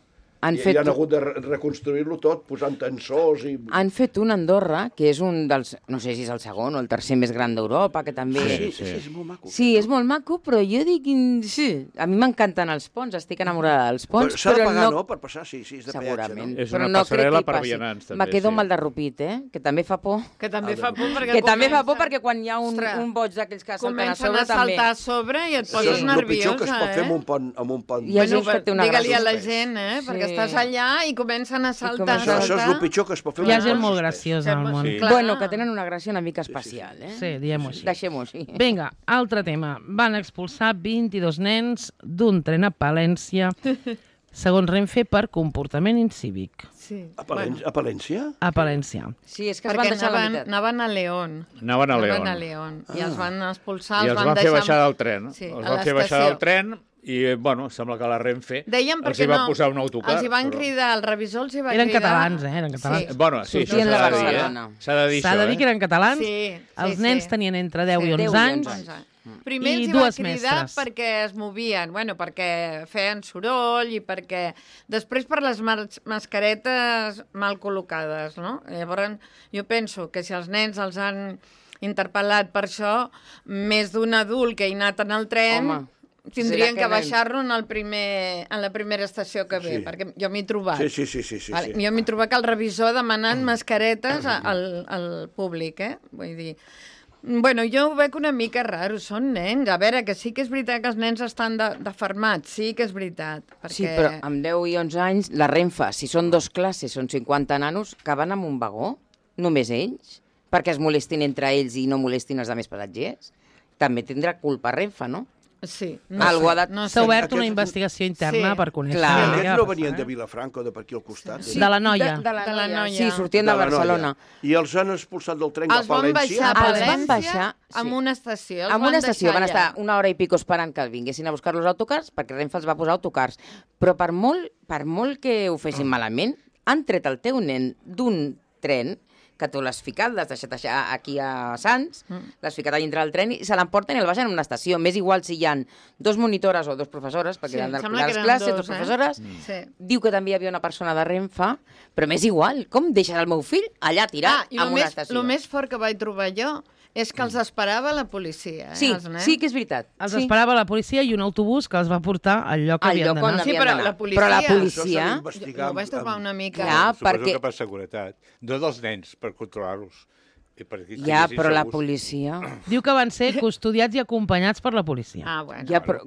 I han hagut de reconstruir-lo tot, posant tensors i...
Han fet un a Andorra, que és un dels... No sé si és el segon o el tercer més gran d'Europa, que també...
Sí, és molt maco.
Sí, és molt maco, però jo dic... Sí, a mi m'encanten els ponts, estic enamorada dels ponts,
però s'ha de pagar, no?, per passar, sí, és de peatge, no?
És una passarel·la per vianants, també.
Me quedo amb el de Rupit, que també fa por.
Que també fa por
perquè quan hi ha un boig d'aquells que salten a sobre, també...
Comencen a saltar a sobre i et poses nerviosa,
el pitjor que es pot fer amb un pont.
Digue-li a la gent, perquè estàs allà i comencen a saltar.
Això és el pitjor que es pot fer.
Hi ha gent molt graciosa al món.
Bueno, que tenen una gràcia una mica especial,
Sí, diguem-ho així.
Deixem-ho així.
Vinga, altre tema. Van expulsar 22 nens d'un tren a Palència, segons Renfe, per comportament incívic.
A Palència?
A Palència.
Sí, és que es van deixar la meitat.
Anaven a León.
Anaven a León.
I els van expulsar,
els van fer baixar del tren. Els van fer baixar del tren i, bueno, sembla que la Renfe els hi va posar un autocar.
Els hi van cridar, el revisor els hi va cridar...
Eren catalans, eren catalans.
Sí. Bueno, sí, això s'ha de dir,
S'ha
S'ha de dir
que eren catalans. Els nens tenien entre 10 i 11 anys
Primer
I
els hi va
dues
cridar
mestres.
perquè es movien, bueno, perquè feien soroll i perquè... Després per les mascaretes mal col·locades, no? Llavors jo penso que si els nens els han interpel·lat per això, més d'un adult que hi ha anat en el tren...
Home,
tindrien
serà
que
que
baixar-lo en la primera estació que ve, perquè jo m'he trobat.
Sí.
Jo m'he trobat que el revisor demanant mascaretes al públic, Vull dir... Bueno, jo ho veig una mica raro, són nens. A veure, que sí que és veritat que els nens estan defermats, sí que és veritat. Perquè...
Sí, però amb 10 i 11 anys, la Renfe, si són 2 classes, són 50 nanos, que van amb un vagó, només ells, perquè es molestin entre ells i no molestin els altres passatgers. També tindrà culpa Renfe, no?
Sí.
Algú ha de...
S'ha obert una investigació interna per conèixer...
Clar.
I
què
aquests
va
no
passar,
venien de Vilafranca o de per aquí al costat?
Sí. De la Noia.
De la
Noia.
Sí, sortien de Barcelona.
I els han expulsat del tren
Els
cap a
van
València?
baixar a
Els van
València
baixar, sí.
amb una estació.
En una estació van estar una hora i pico esperant que vinguessin a buscar los autocars, perquè Renfe els va posar autocars. Però per molt que ho fessin malament, han tret el teu nen d'un tren que tu l'has ficat, l'has deixat aquí a Sants, l'has ficat a dintre del tren i se l'emporten i el baixen en una estació. M'és igual si hi ha 2 monitores o 2 professores, perquè
Sí,
eren de
sembla que
les
eren
classes,
2,
2 professores.
Sí.
Diu que també hi havia una persona de Renfe, però m'és igual. Com deixes el meu fill allà tirat
I
en una estació?
el més fort que vaig trobar jo és que els esperava la policia,
Sí,
els nens.
sí que és veritat.
Els
sí.
esperava la policia i un autobús que els va portar al lloc que
Al
havien
lloc on
d'anar.
Sí,
havien
però
d'anar.
la policia...
Però la
Això s'ha
policia...
d'investigar
Ho vaig trobar una mica...
Clar,
Suposo
perquè-
que per seguretat. No dels nens, per controlar-los. I perquè
Ja,
estiguessin
però la
segurs.
policia...
Diu que van ser custodiats i acompanyats per la policia.
Ah, bueno.
Ja, però,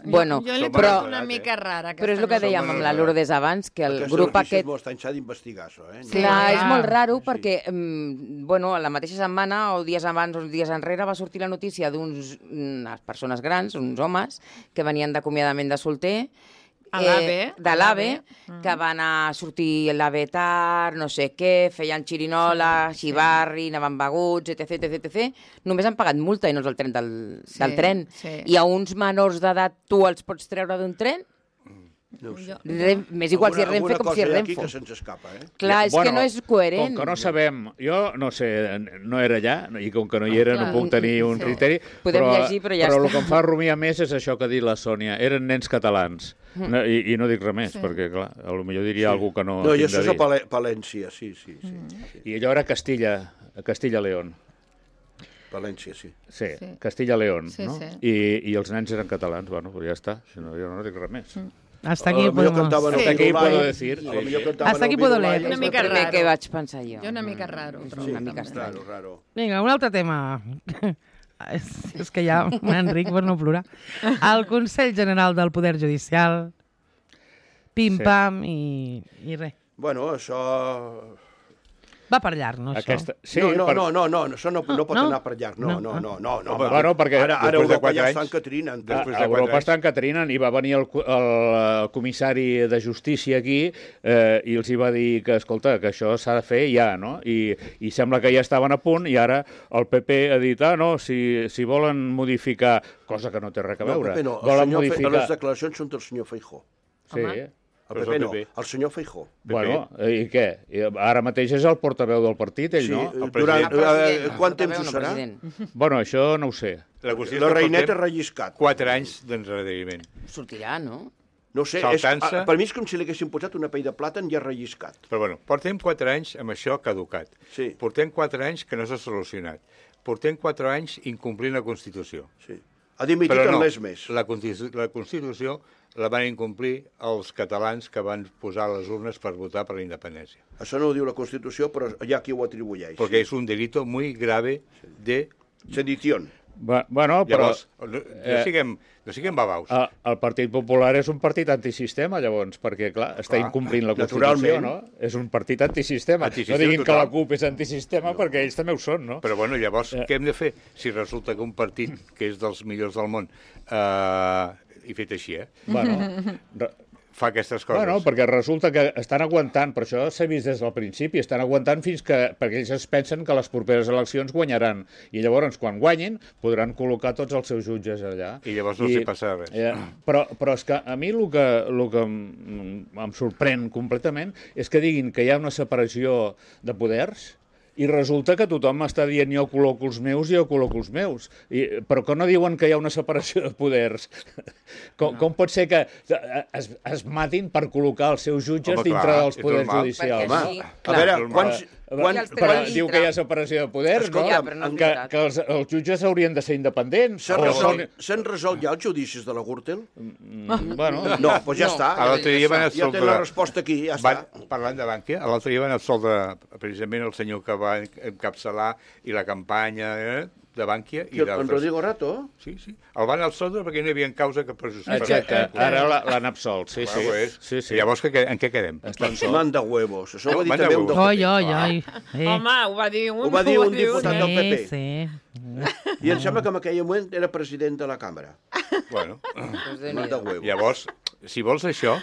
Bueno, jo l'he
però-
trobat una mica rara.
Però és el que dèiem amb la Lourdes abans, que el
Aquesta
grup
notícia
aquest...
és molt estrany, s'ha d'investigar, això, eh?
Sí.
Clar, és
clar.
molt raro perquè, bueno, la mateixa setmana, o dies abans o dies enrere, va sortir la notícia d'unes persones grans, uns homes, que venien d'acomiadament de solter,
A l'AVE.
de l'AVE, que van a sortir a l'AVE tard, no sé què, feien xirinola, xivarri, anaven beguts, etc. Només han pagat multa i no és el tren del tren.
sí.
I a uns menors d'edat tu els pots treure d'un tren?
No ho sé.
M'és igual si és Renfe com si és
Alguna cosa hi ha aquí
Renfe.
que se'ns escapa, eh?
Clar, és que no és coherent.
Com que no sabem, jo no sé, no era allà, i com que no hi era no
Clar.
puc tenir un
Sí.
criteri,
Podem llegir, però ja
però
està.
el que em fa rumiar més és això que ha dit la Sònia, eren nens catalans, i no dic res més, perquè clar, potser diria algú que no,
No, i
tinc
això
de
és
dir.
a Palència, sí.
I allò era Castilla-León.
Palència, sí.
Sí,
Sí.
Castilla-León,
Sí,
no?
sí.
I els nens eren catalans, bueno, pues ja està, si no, jo no dic res més.
Hasta aquí
Potser
podemos...
cantaven
Hasta
el
aquí
Virulai,
puedo decir,
a lo
sí,
millor
sí.
cantaven
Hasta aquí
el
puedo
Virulai.
leer.
És
Una
el
mica
primer
raro.
que vaig pensar jo.
Jo una mica raro. ho trobo,
una mica
també.
estrany.
Raro.
Vinga, un altre tema. és que ja, Enric, per no plorar. El Consell General del Poder Judicial, pim-pam i res.
Bueno, això...
Va per llarg, no, això?
Sí,
no, això no pot
No?
anar per llarg. No.
Bueno, perquè
Ara
després de
Europa
4
ja
anys-
estan que trinen.
Després de
a Europa
4 anys.
estan que trinen i va venir el comissari de justícia aquí i els hi va dir que, escolta, que això s'ha de fer ja, no? I sembla que ja estaven a punt i ara el PP ha dit, no, si volen modificar, cosa que no té res a veure,
No, Pepe, no.
volen
Les
modificar...
declaracions són del senyor Feijó.
Sí,
El
Però és
PP
el
no,
PP.
el senyor Feijó.
bueno, i què? Ara mateix és el portaveu del partit, ell,
Sí,
no?
El
durant,
president,
quant
el
temps ho
portaveu, no
serà?
president.
Bueno, això no ho sé.
La qüestió és
La
que
reineta
portem
relliscat.
4 anys d'endarreriment.
Sortirà, no?
No ho sé,
Saltant-se.
per mi és com si li haguessin posat una pell de plàtan ja relliscat.
Però bueno, portem 4 anys amb això caducat.
Sí.
Portem 4 anys que no s'ha solucionat. Portem 4 anys incomplint la Constitució.
Sí. Ha dimitit
Però
en
no,
l'és més.
la Constitució la van incomplir els catalans que van posar les urnes per votar per la independència.
Això no ho diu la Constitució, però hi ha qui ho atribueix.
Perquè és un delito muy grave de...
Sedición.
Bueno, però...
Llavors, no siguem babaus.
El Partit Popular és un partit antisistema, llavors, perquè, clar, està incomplint la Constitució,
naturalment.
no? És un partit antisistema.
Antisistema
No diguin que
total.
la CUP és antisistema, perquè ells també ho són, no?
Però bueno, llavors, què hem de fer? Si resulta que un partit que és dels millors del món i fet així,
Bueno,
fa aquestes coses.
bueno, perquè resulta que estan aguantant, per això s'ha vist des del principi, estan aguantant fins que, perquè ells es pensen que les properes eleccions guanyaran, i llavors, quan guanyin, podran col·locar tots els seus jutges allà.
I llavors no s'hi passa res.
Però és que a mi el que em sorprèn completament és que diguin que hi ha una separació de poders I resulta que tothom està dient jo col·loco els meus i jo col·loco els meus. Però que no diuen que hi ha una separació de poders. Com pot ser que es matin per col·locar els seus jutges dintre dels poders judicials?
A veure,
però diu que hi ha separació de poders, no? Que els jutges haurien de ser independents.
S'han resolt ja els judicis de la Gürtel?
Bueno...
No, doncs ja està. Ja té la resposta aquí, ja està.
Parlant de Bankia, l'altre dia van absoldre precisament el senyor que va encapçalar i la campanya de Bankia i d'altres.
En Rodrigo Rato?
Sí. El van absoldre perquè no hi havia causa que pressupostés.
Exacte, ara l'han absolt, sí.
Llavors, en què quedem?
Manda huevos. Això ho va dir també un del
PP.
Home, ho va dir un...
Ho va dir un diputat del PP.
Sí.
I em sembla que en aquell moment era president de la càmera.
Bueno,
manda huevos.
Llavors, si vols això,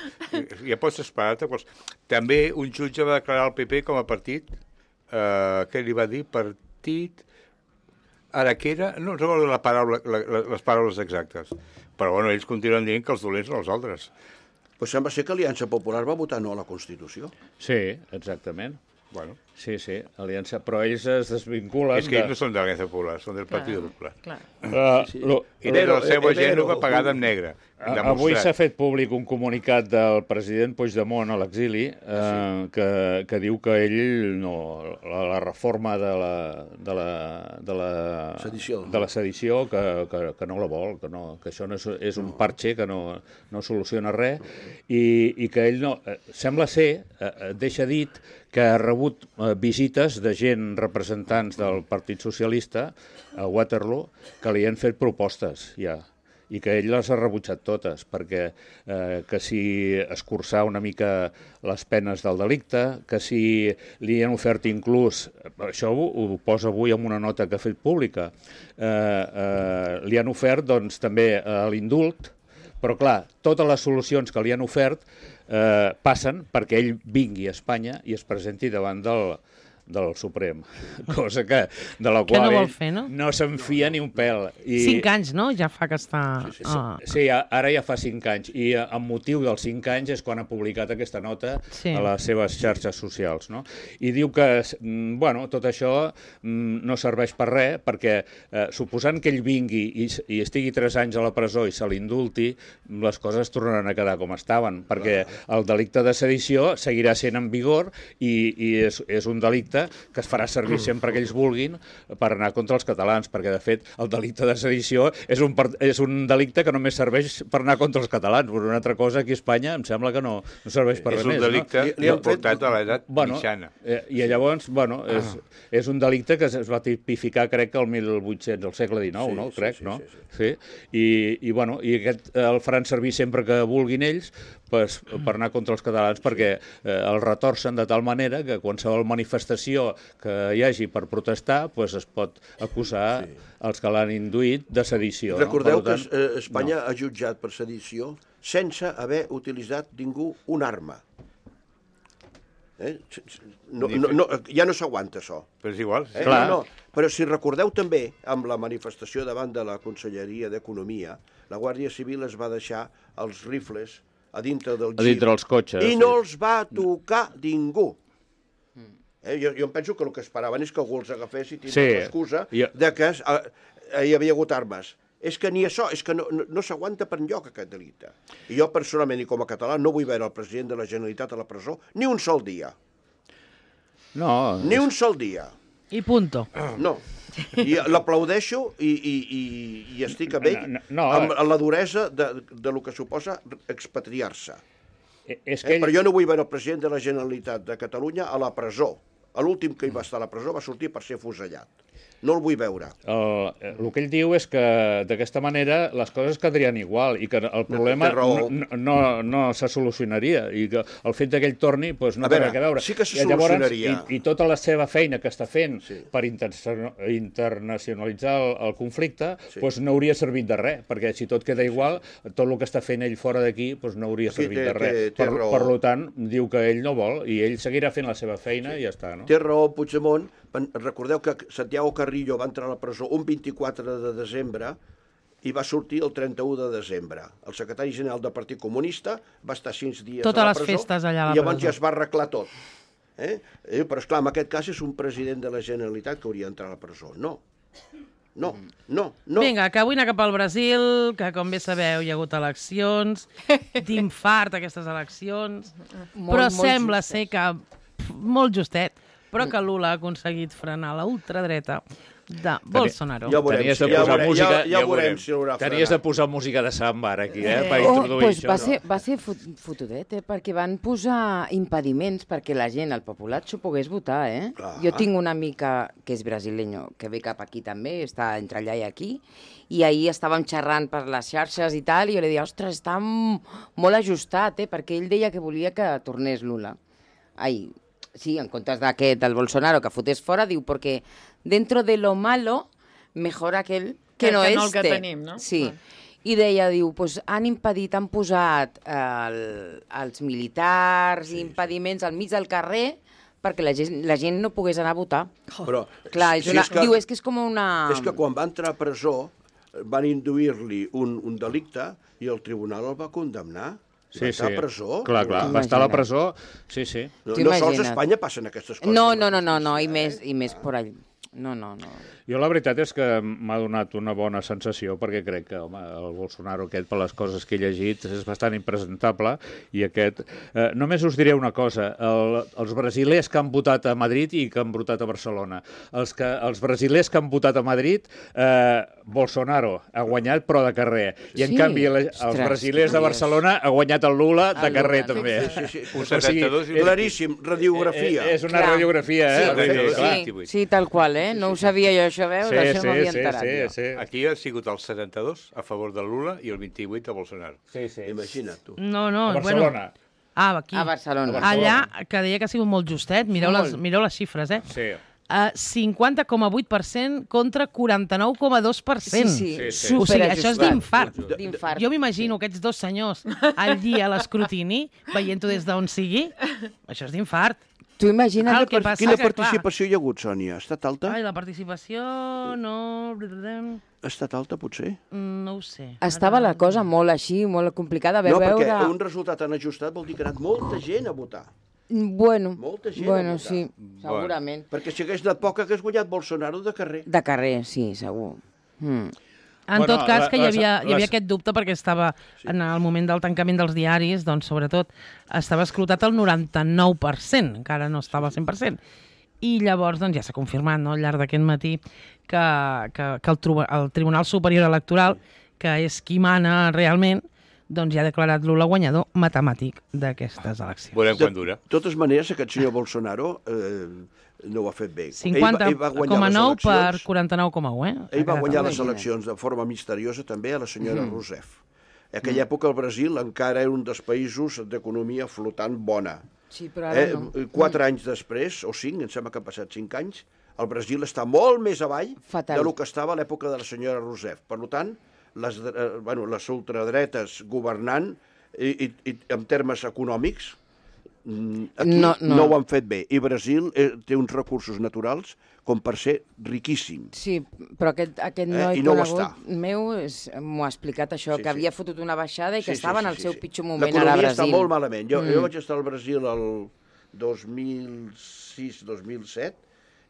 ja pots esperar-te. També un jutge va declarar el PP com a partit, què li va dir? Partit... Ara que era... No recordo les paraules exactes. Però, bueno, ells continuen dient que els dolents són els altres.
Pues sembla ser que Aliança Popular va votar no a la Constitució.
Sí, exactament.
Bueno.
Sí, Aliança, però ells es desvinculen...
És que ells no són de l'Aliança Popular, són del Partit Popular.
I
de la seva Gènova pagada en negre.
Avui s'ha fet públic un comunicat del president Puigdemont a l'exili que diu que ell la reforma de la sedició que no la vol, que això no és un parche que no soluciona res i que ell no... Sembla ser, deixa dit, que ha rebut visites de gent representants del Partit Socialista a Waterloo que li han fet propostes ja i que ell les ha rebutjat totes, perquè que si escurçar una mica les penes del delicte, que si li han ofert inclús, això ho posa avui en una nota que ha fet pública, li han ofert doncs, també l'indult, però clar, totes les solucions que li han ofert passen perquè ell vingui a Espanya i es presenti davant del Suprem, cosa de la qual
no vol fer,
no se'n fia ni un pèl.
5 anys, no? Ja fa que està...
Sí, ara ja fa 5 anys, i amb motiu dels 5 anys és quan ha publicat aquesta nota a les seves xarxes socials, no? I diu que, bueno, tot això no serveix per res, perquè suposant que ell vingui i estigui 3 anys a la presó i se l'indulti, les coses tornaran a quedar com estaven, perquè el delicte de sedició seguirà sent en vigor i és un delicte que es farà servir sempre que ells vulguin per anar contra els catalans, perquè de fet el delicte de sedició és un delicte que només serveix per anar contra els catalans, però una altra cosa aquí a Espanya em sembla que no serveix per res més.
És un delicte portat a l'edat mitjana.
I llavors, bueno, és un delicte que es va tipificar, crec que el 1800, al segle XIX, no? Crec, no? Sí. I aquest el faran servir sempre que vulguin ells per anar contra els catalans, perquè el retorcen de tal manera que qualsevol manifestació que hi hagi per protestar es pot acusar els que l'han induït de sedició.
Recordeu que Espanya ha jutjat per sedició sense haver utilitzat ningú una arma. Ja no s'aguanta això.
Però és igual.
Però si recordeu també, amb la manifestació davant de la Conselleria d'Economia, la Guàrdia Civil es va deixar els rifles a dintre del jeep.
A dintre els cotxes.
I no els va tocar ningú. Jo em penso que el que esperaven és que algú els agafés i tindria l'excusa de que hi havia hagut armes. És que ni això, és que no s'aguanta per enlloc aquest delicte. I jo personalment i com a català no vull veure el president de la Generalitat a la presó ni un sol dia. Ni un sol dia.
I punto.
No. I l'aplaudeixo i estic amb ell amb la duresa de lo que suposa expatriar-se. Però jo no vull veure el president de la Generalitat de Catalunya a la presó. L'últim que hi va estar a la presó va sortir per ser afusellat. No el vull veure.
El que ell diu és que d'aquesta manera les coses quedarien igual i que el problema no se solucionaria i que el fet que ell torni no té res a veure.
Sí que se solucionaria.
I tota la seva feina que està fent per internacionalitzar el conflicte no hauria servit de res, perquè si tot queda igual, tot el que està fent ell fora d'aquí no hauria servit de res. Per tant, diu que ell no vol i ell seguirà fent la seva feina i ja està.
Té raó Puigdemont. Recordeu que Santiago Carrillo va entrar a la presó un 24 de desembre i va sortir el 31 de desembre. El secretari general del Partit Comunista va estar 6 dies a la presó
festes allà a la presó.
I llavors ja es va arreglar tot. Però, esclar, en aquest cas és un president de la Generalitat que hauria d'entrar a la presó. No.
Vinga, que vull anar cap al Brasil, que com bé sabeu hi ha hagut eleccions, d'infart aquestes eleccions, però sembla ser que molt justet, però que Lula ha aconseguit frenar la ultradreta de Bolsonaro.
Ja veurem si l'haurà frenat.
Tenies de posar música de samba ara aquí, per introduir això.
Va ser fotudet, perquè van posar impediments perquè la gent, el populat, s'ho pogués votar, Jo tinc una amica que és brasileño, que ve cap aquí també, està entre allà i aquí, i ahir estàvem xerrant per les xarxes i tal, i jo li deia, ostres, està molt ajustat, perquè ell deia que volia que tornés Lula. Sí, en comptes d'aquest, del Bolsonaro, que fotés fora, diu, perquè dentro de lo malo, mejor aquel que no
el
este.
que tenim, no?
Sí. I deia, diu, pues han posat els militars i impediments al mig del carrer perquè la gent no pogués anar a votar.
Però,
clar, diu, és que és com una...
És que quan va entrar a presó van induir-li un delicte i el tribunal el va condemnar. Va estar a presó?
Clar, va estar a la presó, sí.
No sols a Espanya passen aquestes coses.
No, i més por allà. No.
Jo la veritat és que m'ha donat una bona sensació perquè crec que, home, el Bolsonaro aquest, per les coses que he llegit, és bastant impresentable i aquest... Només us diré una cosa, els brasilers que han votat a Madrid i que han votat a Barcelona. Els brasilers que han votat a Madrid, Bolsonaro ha guanyat però de carrer. I en canvi els brasilers de Barcelona ha guanyat el Lula de carrer també.
Sí. Claríssim, radiografia.
És una radiografia,
Sí, tal qual, No ho sabia jo, això, veus? Això no m'havia enterat.
Sí. Aquí ha sigut el 72 a favor del Lula i el 28 a Bolsonaro.
Sí.
Imagina't, tu.
No,
a Barcelona.
Aquí.
A Barcelona.
Allà, que deia que ha sigut molt justet, mireu les xifres,
Sí.
50,8% contra 49,2%.
Sí.
O sigui, això és d'infart.
D'infart.
Jo m'imagino aquests dos senyors allí a l'escrutini, veient-ho des d'on sigui, això és d'infart.
Tu imagina't
quina participació hi ha hagut, Sònia? Ha estat alta?
Ai, la participació no...
Ha estat alta, potser?
No ho sé.
Estava la cosa molt així, molt complicada.
Perquè un resultat tan ajustat vol dir que ha anat molta gent a votar.
Molta gent a votar. Sí, segurament.
Perquè si hagués anat poc, hagués guanyat Bolsonaro de carrer.
De carrer, sí, segur.
En tot cas, que hi havia aquest dubte perquè estava en el moment del tancament dels diaris, doncs, sobretot, estava escrutat el 99%, encara no estava al 100%. I llavors doncs, ja s'ha confirmat al llarg d'aquest matí que el Tribunal Superior Electoral, que és qui mana realment, doncs ja ha declarat Lula guanyador matemàtic d'aquestes eleccions.
Veurem quan dura.
De totes maneres, aquest senyor Bolsonaro no ho ha fet bé.
50,9 per 49,1,
Ell va guanyar les eleccions de forma misteriosa també a la senyora Rousseff. En aquella època el Brasil encara era un dels països d'economia flotant bona.
Sí, però ara no.
4 anys després, o 5, em sembla que han passat 5 anys, el Brasil està molt més avall del que estava a l'època de la senyora Rousseff. Per tant, les ultradretes governant i en termes econòmics aquí no ho han fet bé. I Brasil té uns recursos naturals com per ser riquíssim.
Sí, però aquest noi conegut meu m'ho ha explicat això, que havia fotut una baixada i que estava en el seu pitjor moment ara a Brasil.
L'economia està molt malament. Jo vaig estar al Brasil el 2006-2007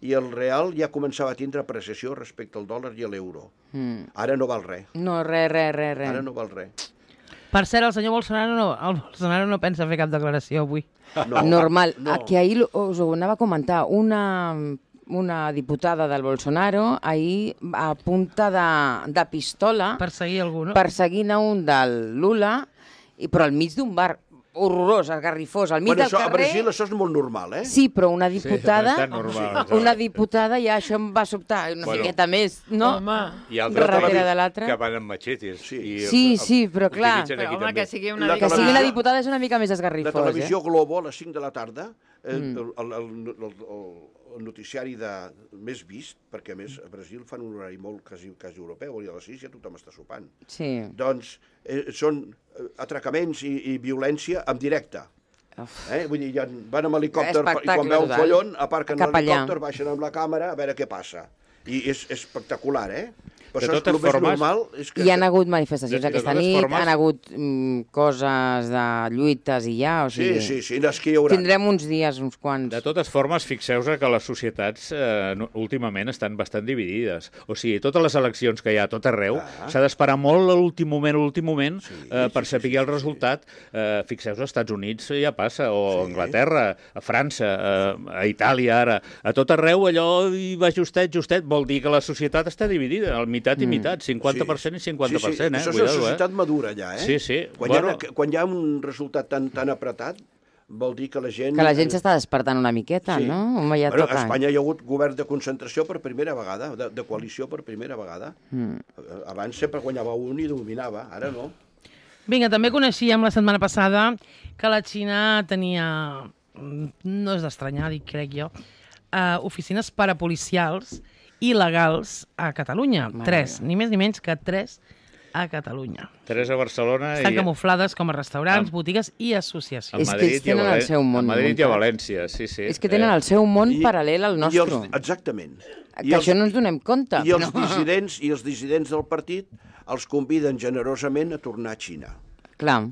i el real ja començava a tindre apreciació respecte al dòlar i a l'euro. Ara no val res.
No, res.
Ara no val res.
Per cert, el senyor Bolsonaro no pensa fer cap declaració avui.
Normal. Que ahir us ho anava a comentar. Una diputada del Bolsonaro ahir a punta de pistola
perseguir algú, no?
Perseguint a un del Lula, però al mig d'un bar horrorós, esgarrifós, al mig del carrer...
A Brasil això és molt normal,
Sí, però una diputada...
Sí, normal,
una diputada ja això em va sobtar una miqueta més, no?
I altres
darrere de l'altre.
Que van amb matxetes.
Sí, però clar...
Però home, que sigui una
Que sigui la diputada és una mica més esgarrifós.
La televisió Globo, a les 5 de la tarda, el noticiari més vist, perquè a més a Brasil fan un horari molt quasi europeu, i a les 6 ja tothom està sopant.
Sí.
Doncs són atracaments i violència en directe. Vull dir, van amb helicòpter i quan veu un follon aparquen l'helicòpter, baixen amb la càmera a veure què passa. I és espectacular, Però això és el més normal.
Hi han hagut manifestacions aquesta nit, han hagut coses de lluites i ja, o sigui...
Sí, és que hi haurà.
Tindrem uns dies, uns quants.
De totes formes, fixeu-vos que les societats últimament estan bastant dividides. O sigui, totes les eleccions que hi ha a tot arreu, s'ha d'esperar molt a l'últim moment per saber el resultat. Fixeu-vos, als Estats Units ja passa, o a Anglaterra, a França, a Itàlia ara. A tot arreu allò hi va justet, vol dir que la societat està dividida, al mitat i mitat, 50% i 50%.
Sí. Això és una societat madura ja, eh?
Sí.
Quan hi ha un resultat tan apretat, vol dir que la gent...
Que la gent s'està despertant una miqueta, no? Home, ja toca.
A Espanya hi ha hagut govern de concentració per primera vegada, de coalició per primera vegada. Abans sempre guanyava un i dominava, ara no.
Vinga, també coneixíem la setmana passada que la Xina tenia, no és d'estranyar, crec jo, oficines parapolicials il·legals a Catalunya. 3, ni més ni menys que 3 a Catalunya.
3 a Barcelona.
Estan camuflades com a restaurants, botigues i associacions.
És que ells tenen el seu món.
A Madrid i a València, sí.
És que tenen el seu món paral·lel al nostre.
Exactament.
Que això no ens donem compte.
I els dissidents del partit els conviden generosament a tornar a Xina.
Clar.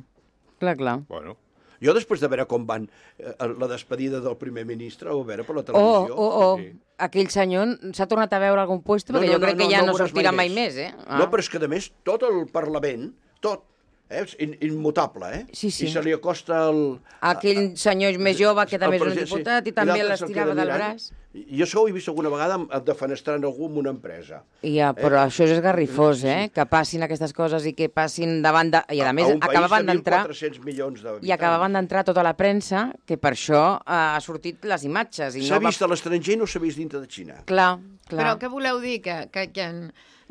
Bueno.
Jo, després de veure com van la despedida del primer ministre, o veure per la televisió...
Aquell senyor s'ha tornat a veure algun puesto, perquè jo crec que ja no sortirà mai més, eh?
No, però és que, a més, tot el Parlament, tot, és immutable, eh?
Sí.
I se li acosta el...
Aquell senyor més jove, que també és un diputat, i també l'estirava del braç.
I això ho he vist alguna vegada defenestrant algú en una empresa.
Ja, però això és garrifós, que passin aquestes coses i que passin davant de... I a més, acabaven d'entrar...
A un país de 1.400 milions d'habitants.
I acabaven d'entrar tota la premsa, que per això ha sortit les imatges.
S'ha vist a l'estranger i no s'ha vist dintre de Xina.
Clar.
Però què voleu dir? Que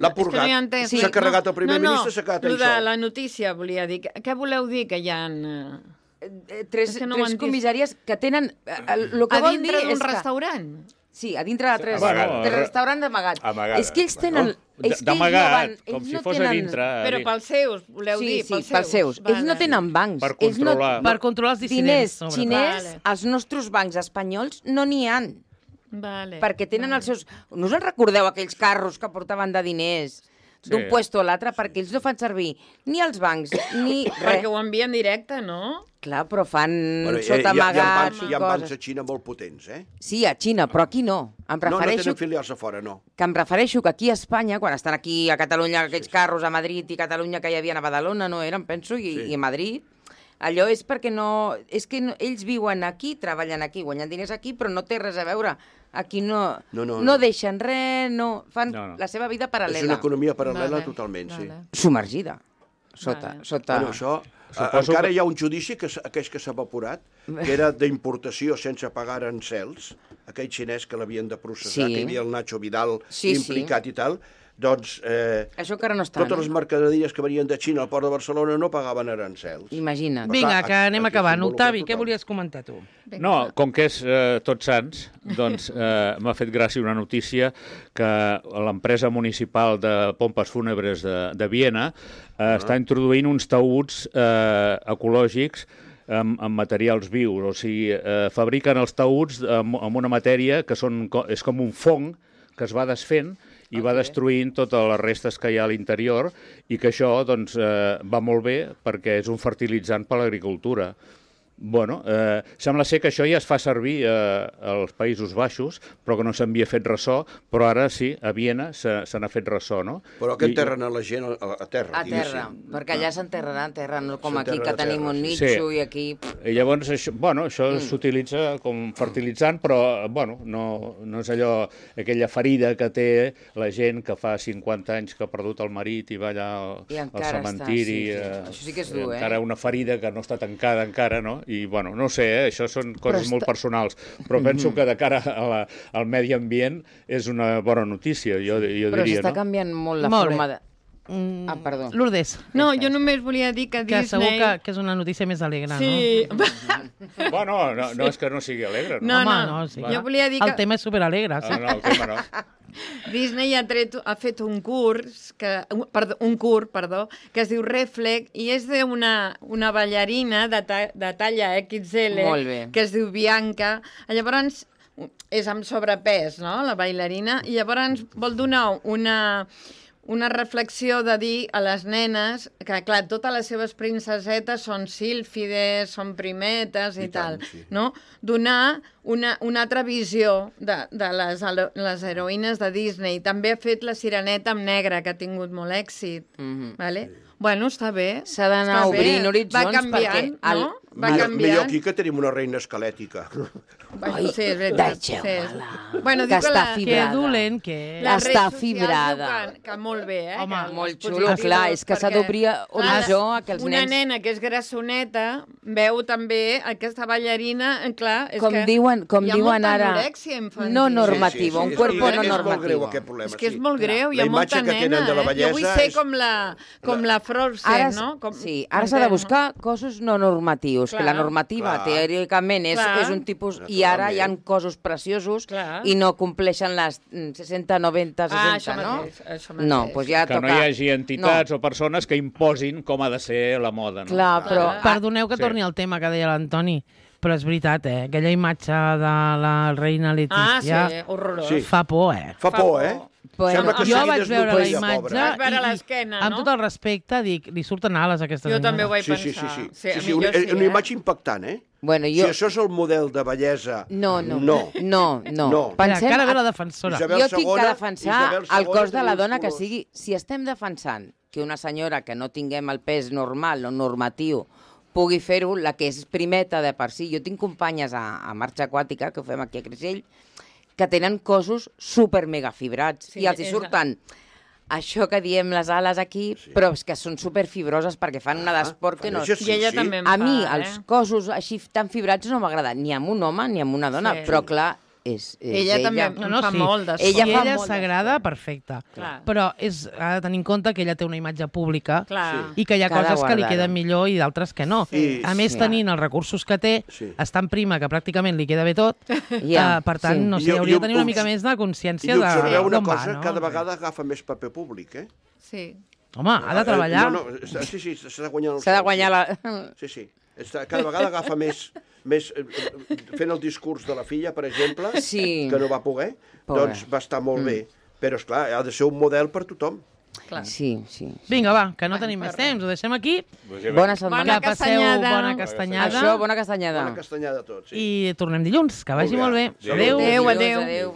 l'ha purgat. S'ha carregat el primer ministre, s'ha quedat
allà sol. La notícia, volia dir. Què voleu dir que hi ha...
Tres comissàries que tenen...
A dintre d'un restaurant?
Sí, a dintre de tres restaurants d'amagat. És que ells tenen...
D'amagat, com si fos a dintre.
Però pels seus, voleu dir?
Sí, pels seus. Ells no tenen bancs.
Per controlar els dissidents.
Diners xinès, els nostres bancs espanyols no n'hi han. Perquè tenen els seus... No us en recordeu aquells carros que portaven de diners d'un puesto a l'altre? Perquè ells no fan servir ni els bancs, ni res.
Perquè ho envien directe, no?
Clar, però fan sota amagat.
Hi ha bancs a Xina molt potents, eh?
Sí, a Xina, però aquí no.
No tenen filials a fora, no.
Que em refereixo que aquí a Espanya, quan estan aquí a Catalunya aquells carros a Madrid i Catalunya que hi havia a Badalona, no eren, penso, i a Madrid, allò és perquè no... És que ells viuen aquí, treballen aquí, guanyen diners aquí, però no té res a veure. Aquí no deixen res, fan la seva vida paral·lela.
És una economia paral·lela totalment, sí.
Submergida. Sota.
Bueno, això... Encara hi ha un judici, aquell que s'ha evaporat, que era d'importació sense pagar arancels, aquell xinès que l'havien de processar, que hi havia el Nacho Vidal implicat i tal. Doncs
això encara no està,
totes les mercaderies que venien de Xina al port de Barcelona no pagaven arancels.
Imagina't.
Vinga, que anem acabant. Octavi, què volies comentar tu?
No, com que és Tots Sants, doncs m'ha fet gràcia una notícia que l'empresa municipal de pompes fúnebres de Viena està introduint uns taüts ecològics amb materials vius, o sigui, fabriquen els taüts amb una matèria que és com un fong que es va desfent i va destruint totes les restes que hi ha a l'interior i que això doncs, va molt bé perquè és un fertilitzant per a l'agricultura. Bueno, sembla ser que això ja es fa servir als Països Baixos, però que no s'havia fet ressò, però ara sí, a Viena se n'ha fet ressò, no?
Però que enterren a la gent a terra.
A terra, perquè allà s'enterrarà en terra, no com aquí, que tenim un nitxo i aquí...
I llavors, això s'utilitza com fertilitzant, però, bueno, no és allò, aquella ferida que té la gent que fa 50 anys que ha perdut el marit i va allà al cementiri.
Això sí que és dur,
encara una ferida que no està tancada encara, no? I, bueno, no sé, això són coses molt personals, però penso que de cara al medi ambient és una bona notícia, jo diria, no?
Però s'està canviant molt la forma de... perdó.
Lourdes.
No, jo només volia dir que Disney...
Que segur que és una notícia més alegre, no?
Sí.
Bueno, no és que no sigui alegre, no?
No, sí.
Jo volia dir que...
El tema és superalegre.
No, el tema no.
Disney ha fet un curs, que es diu Reflex, i és d'una ballarina de talla XL, que es diu Bianca. Llavors, és amb sobrepès, no?, la ballarina, i llavors vol donar una reflexió de dir a les nenes que, clar, totes les seves princesetes són sílfides, són primetes i tal, no? Donar una altra visió de les heroïnes de Disney. També ha fet La Sireneta amb negre, que ha tingut molt èxit, vale? Bueno, està bé.
S'ha d'anar obrint horitzons.
Va canviant, no? Va canviant.
Millor aquí que tenim una reina esquelètica.
Ai,
sí, és veritat.
deixeu-me-la.
Bueno,
Que està
Que
fibrada.
dolent que és.
Està fibrada.
Que molt bé, eh?
Home,
molt xulo, clar, és que s'ha d'obrir horitzó a que els nens...
Una nena que és grassoneta veu també aquesta ballarina, clar, és
com
que
diuen
hi ha molta
ara,
anorèxia infantil.
no normativa, un cuerpo no
És molt greu
normativo.
aquest problema,
És que és molt greu, hi ha molta
que tenen
nena,
de la
Jo vull
bellesa
ser
és-
com la Frozen, no?
Sí, ara s'ha de buscar cossos no normatius, que la normativa teòricament és un tipus... I ara hi ha cossos preciosos i no compleixen les 60, 90, 60, no?
Això mateix.
No, doncs ja
Que
toca...
no hi hagi entitats o persones que imposin com ha de ser la moda. No?
Clar, però...
Perdoneu que torni al tema que deia l'Antoni, però és veritat, aquella imatge de la reina Letícia
Ah, sí, horrorós.
Sí.
fa por,
Fa por, eh?
Bueno,
Sembla que
jo
sigui
vaig veure la
desnutrida,
imatge
pobra.
Vas veure l'esquena,
amb
no?
tot el respecte dic, li surten ales a aquesta
Jo
senyora.
també ho vaig
Sí,
pensar.
sí, una imatge impactant, eh?
Bueno,
Si això és el model de bellesa...
No.
No.
Pensem... Encara ve la defensora.
Jo tinc que defensar
Isabel
el cos de la
té
dona que
colors.
sigui... Si estem defensant que una senyora que no tinguem el pes normal o normatiu pugui fer-ho, la que és primeta de per si. Jo tinc companyes a Marxa Aquàtica, que ho fem aquí a Creixell, que tenen cossos super mega fibrats i els hi surten això que diem les ales aquí, però és que són super fibroses perquè fan una d'esport que no...
I ella també en
A mi,
fa,
els cossos així tan fibrats no m'agrada ni amb un home ni amb una dona, però clar, és
ella també
No,
fa
sí.
molt d'esport.
Si ella
molt
s'agrada, perfecte.
Clar.
Però ha de tenir en compte que ella té una imatge pública
Clar.
i que hi ha
Que ha de
coses que li
guardar-ho.
queden millor i d'altres que no.
Sí.
A més, tenint els recursos que té, estant prima, que pràcticament li queda bé tot, per tant, no sé, hauria de tenir una mica més de consciència
I observeu una
d'on va,
cosa,
no?
cada vegada agafa més paper públic, eh?
Sí.
Home, ha de treballar.
Sí, s'ha de guanyar el
S'ha de
sou,
guanyar
sí.
la...
Sí. Cada vegada agafa més fent el discurs de la filla, per exemple, que no va poder, doncs va estar molt bé. Però, esclar, ha de ser un model per tothom.
Sí.
Vinga, va, que no tenim més temps, ho deixem aquí.
Bona setmana.
Que passeu bona castanyada.
Això, bona castanyada.
Bona castanyada a tots.
I tornem dilluns, que vagi molt bé.
Adéu.
Adéu.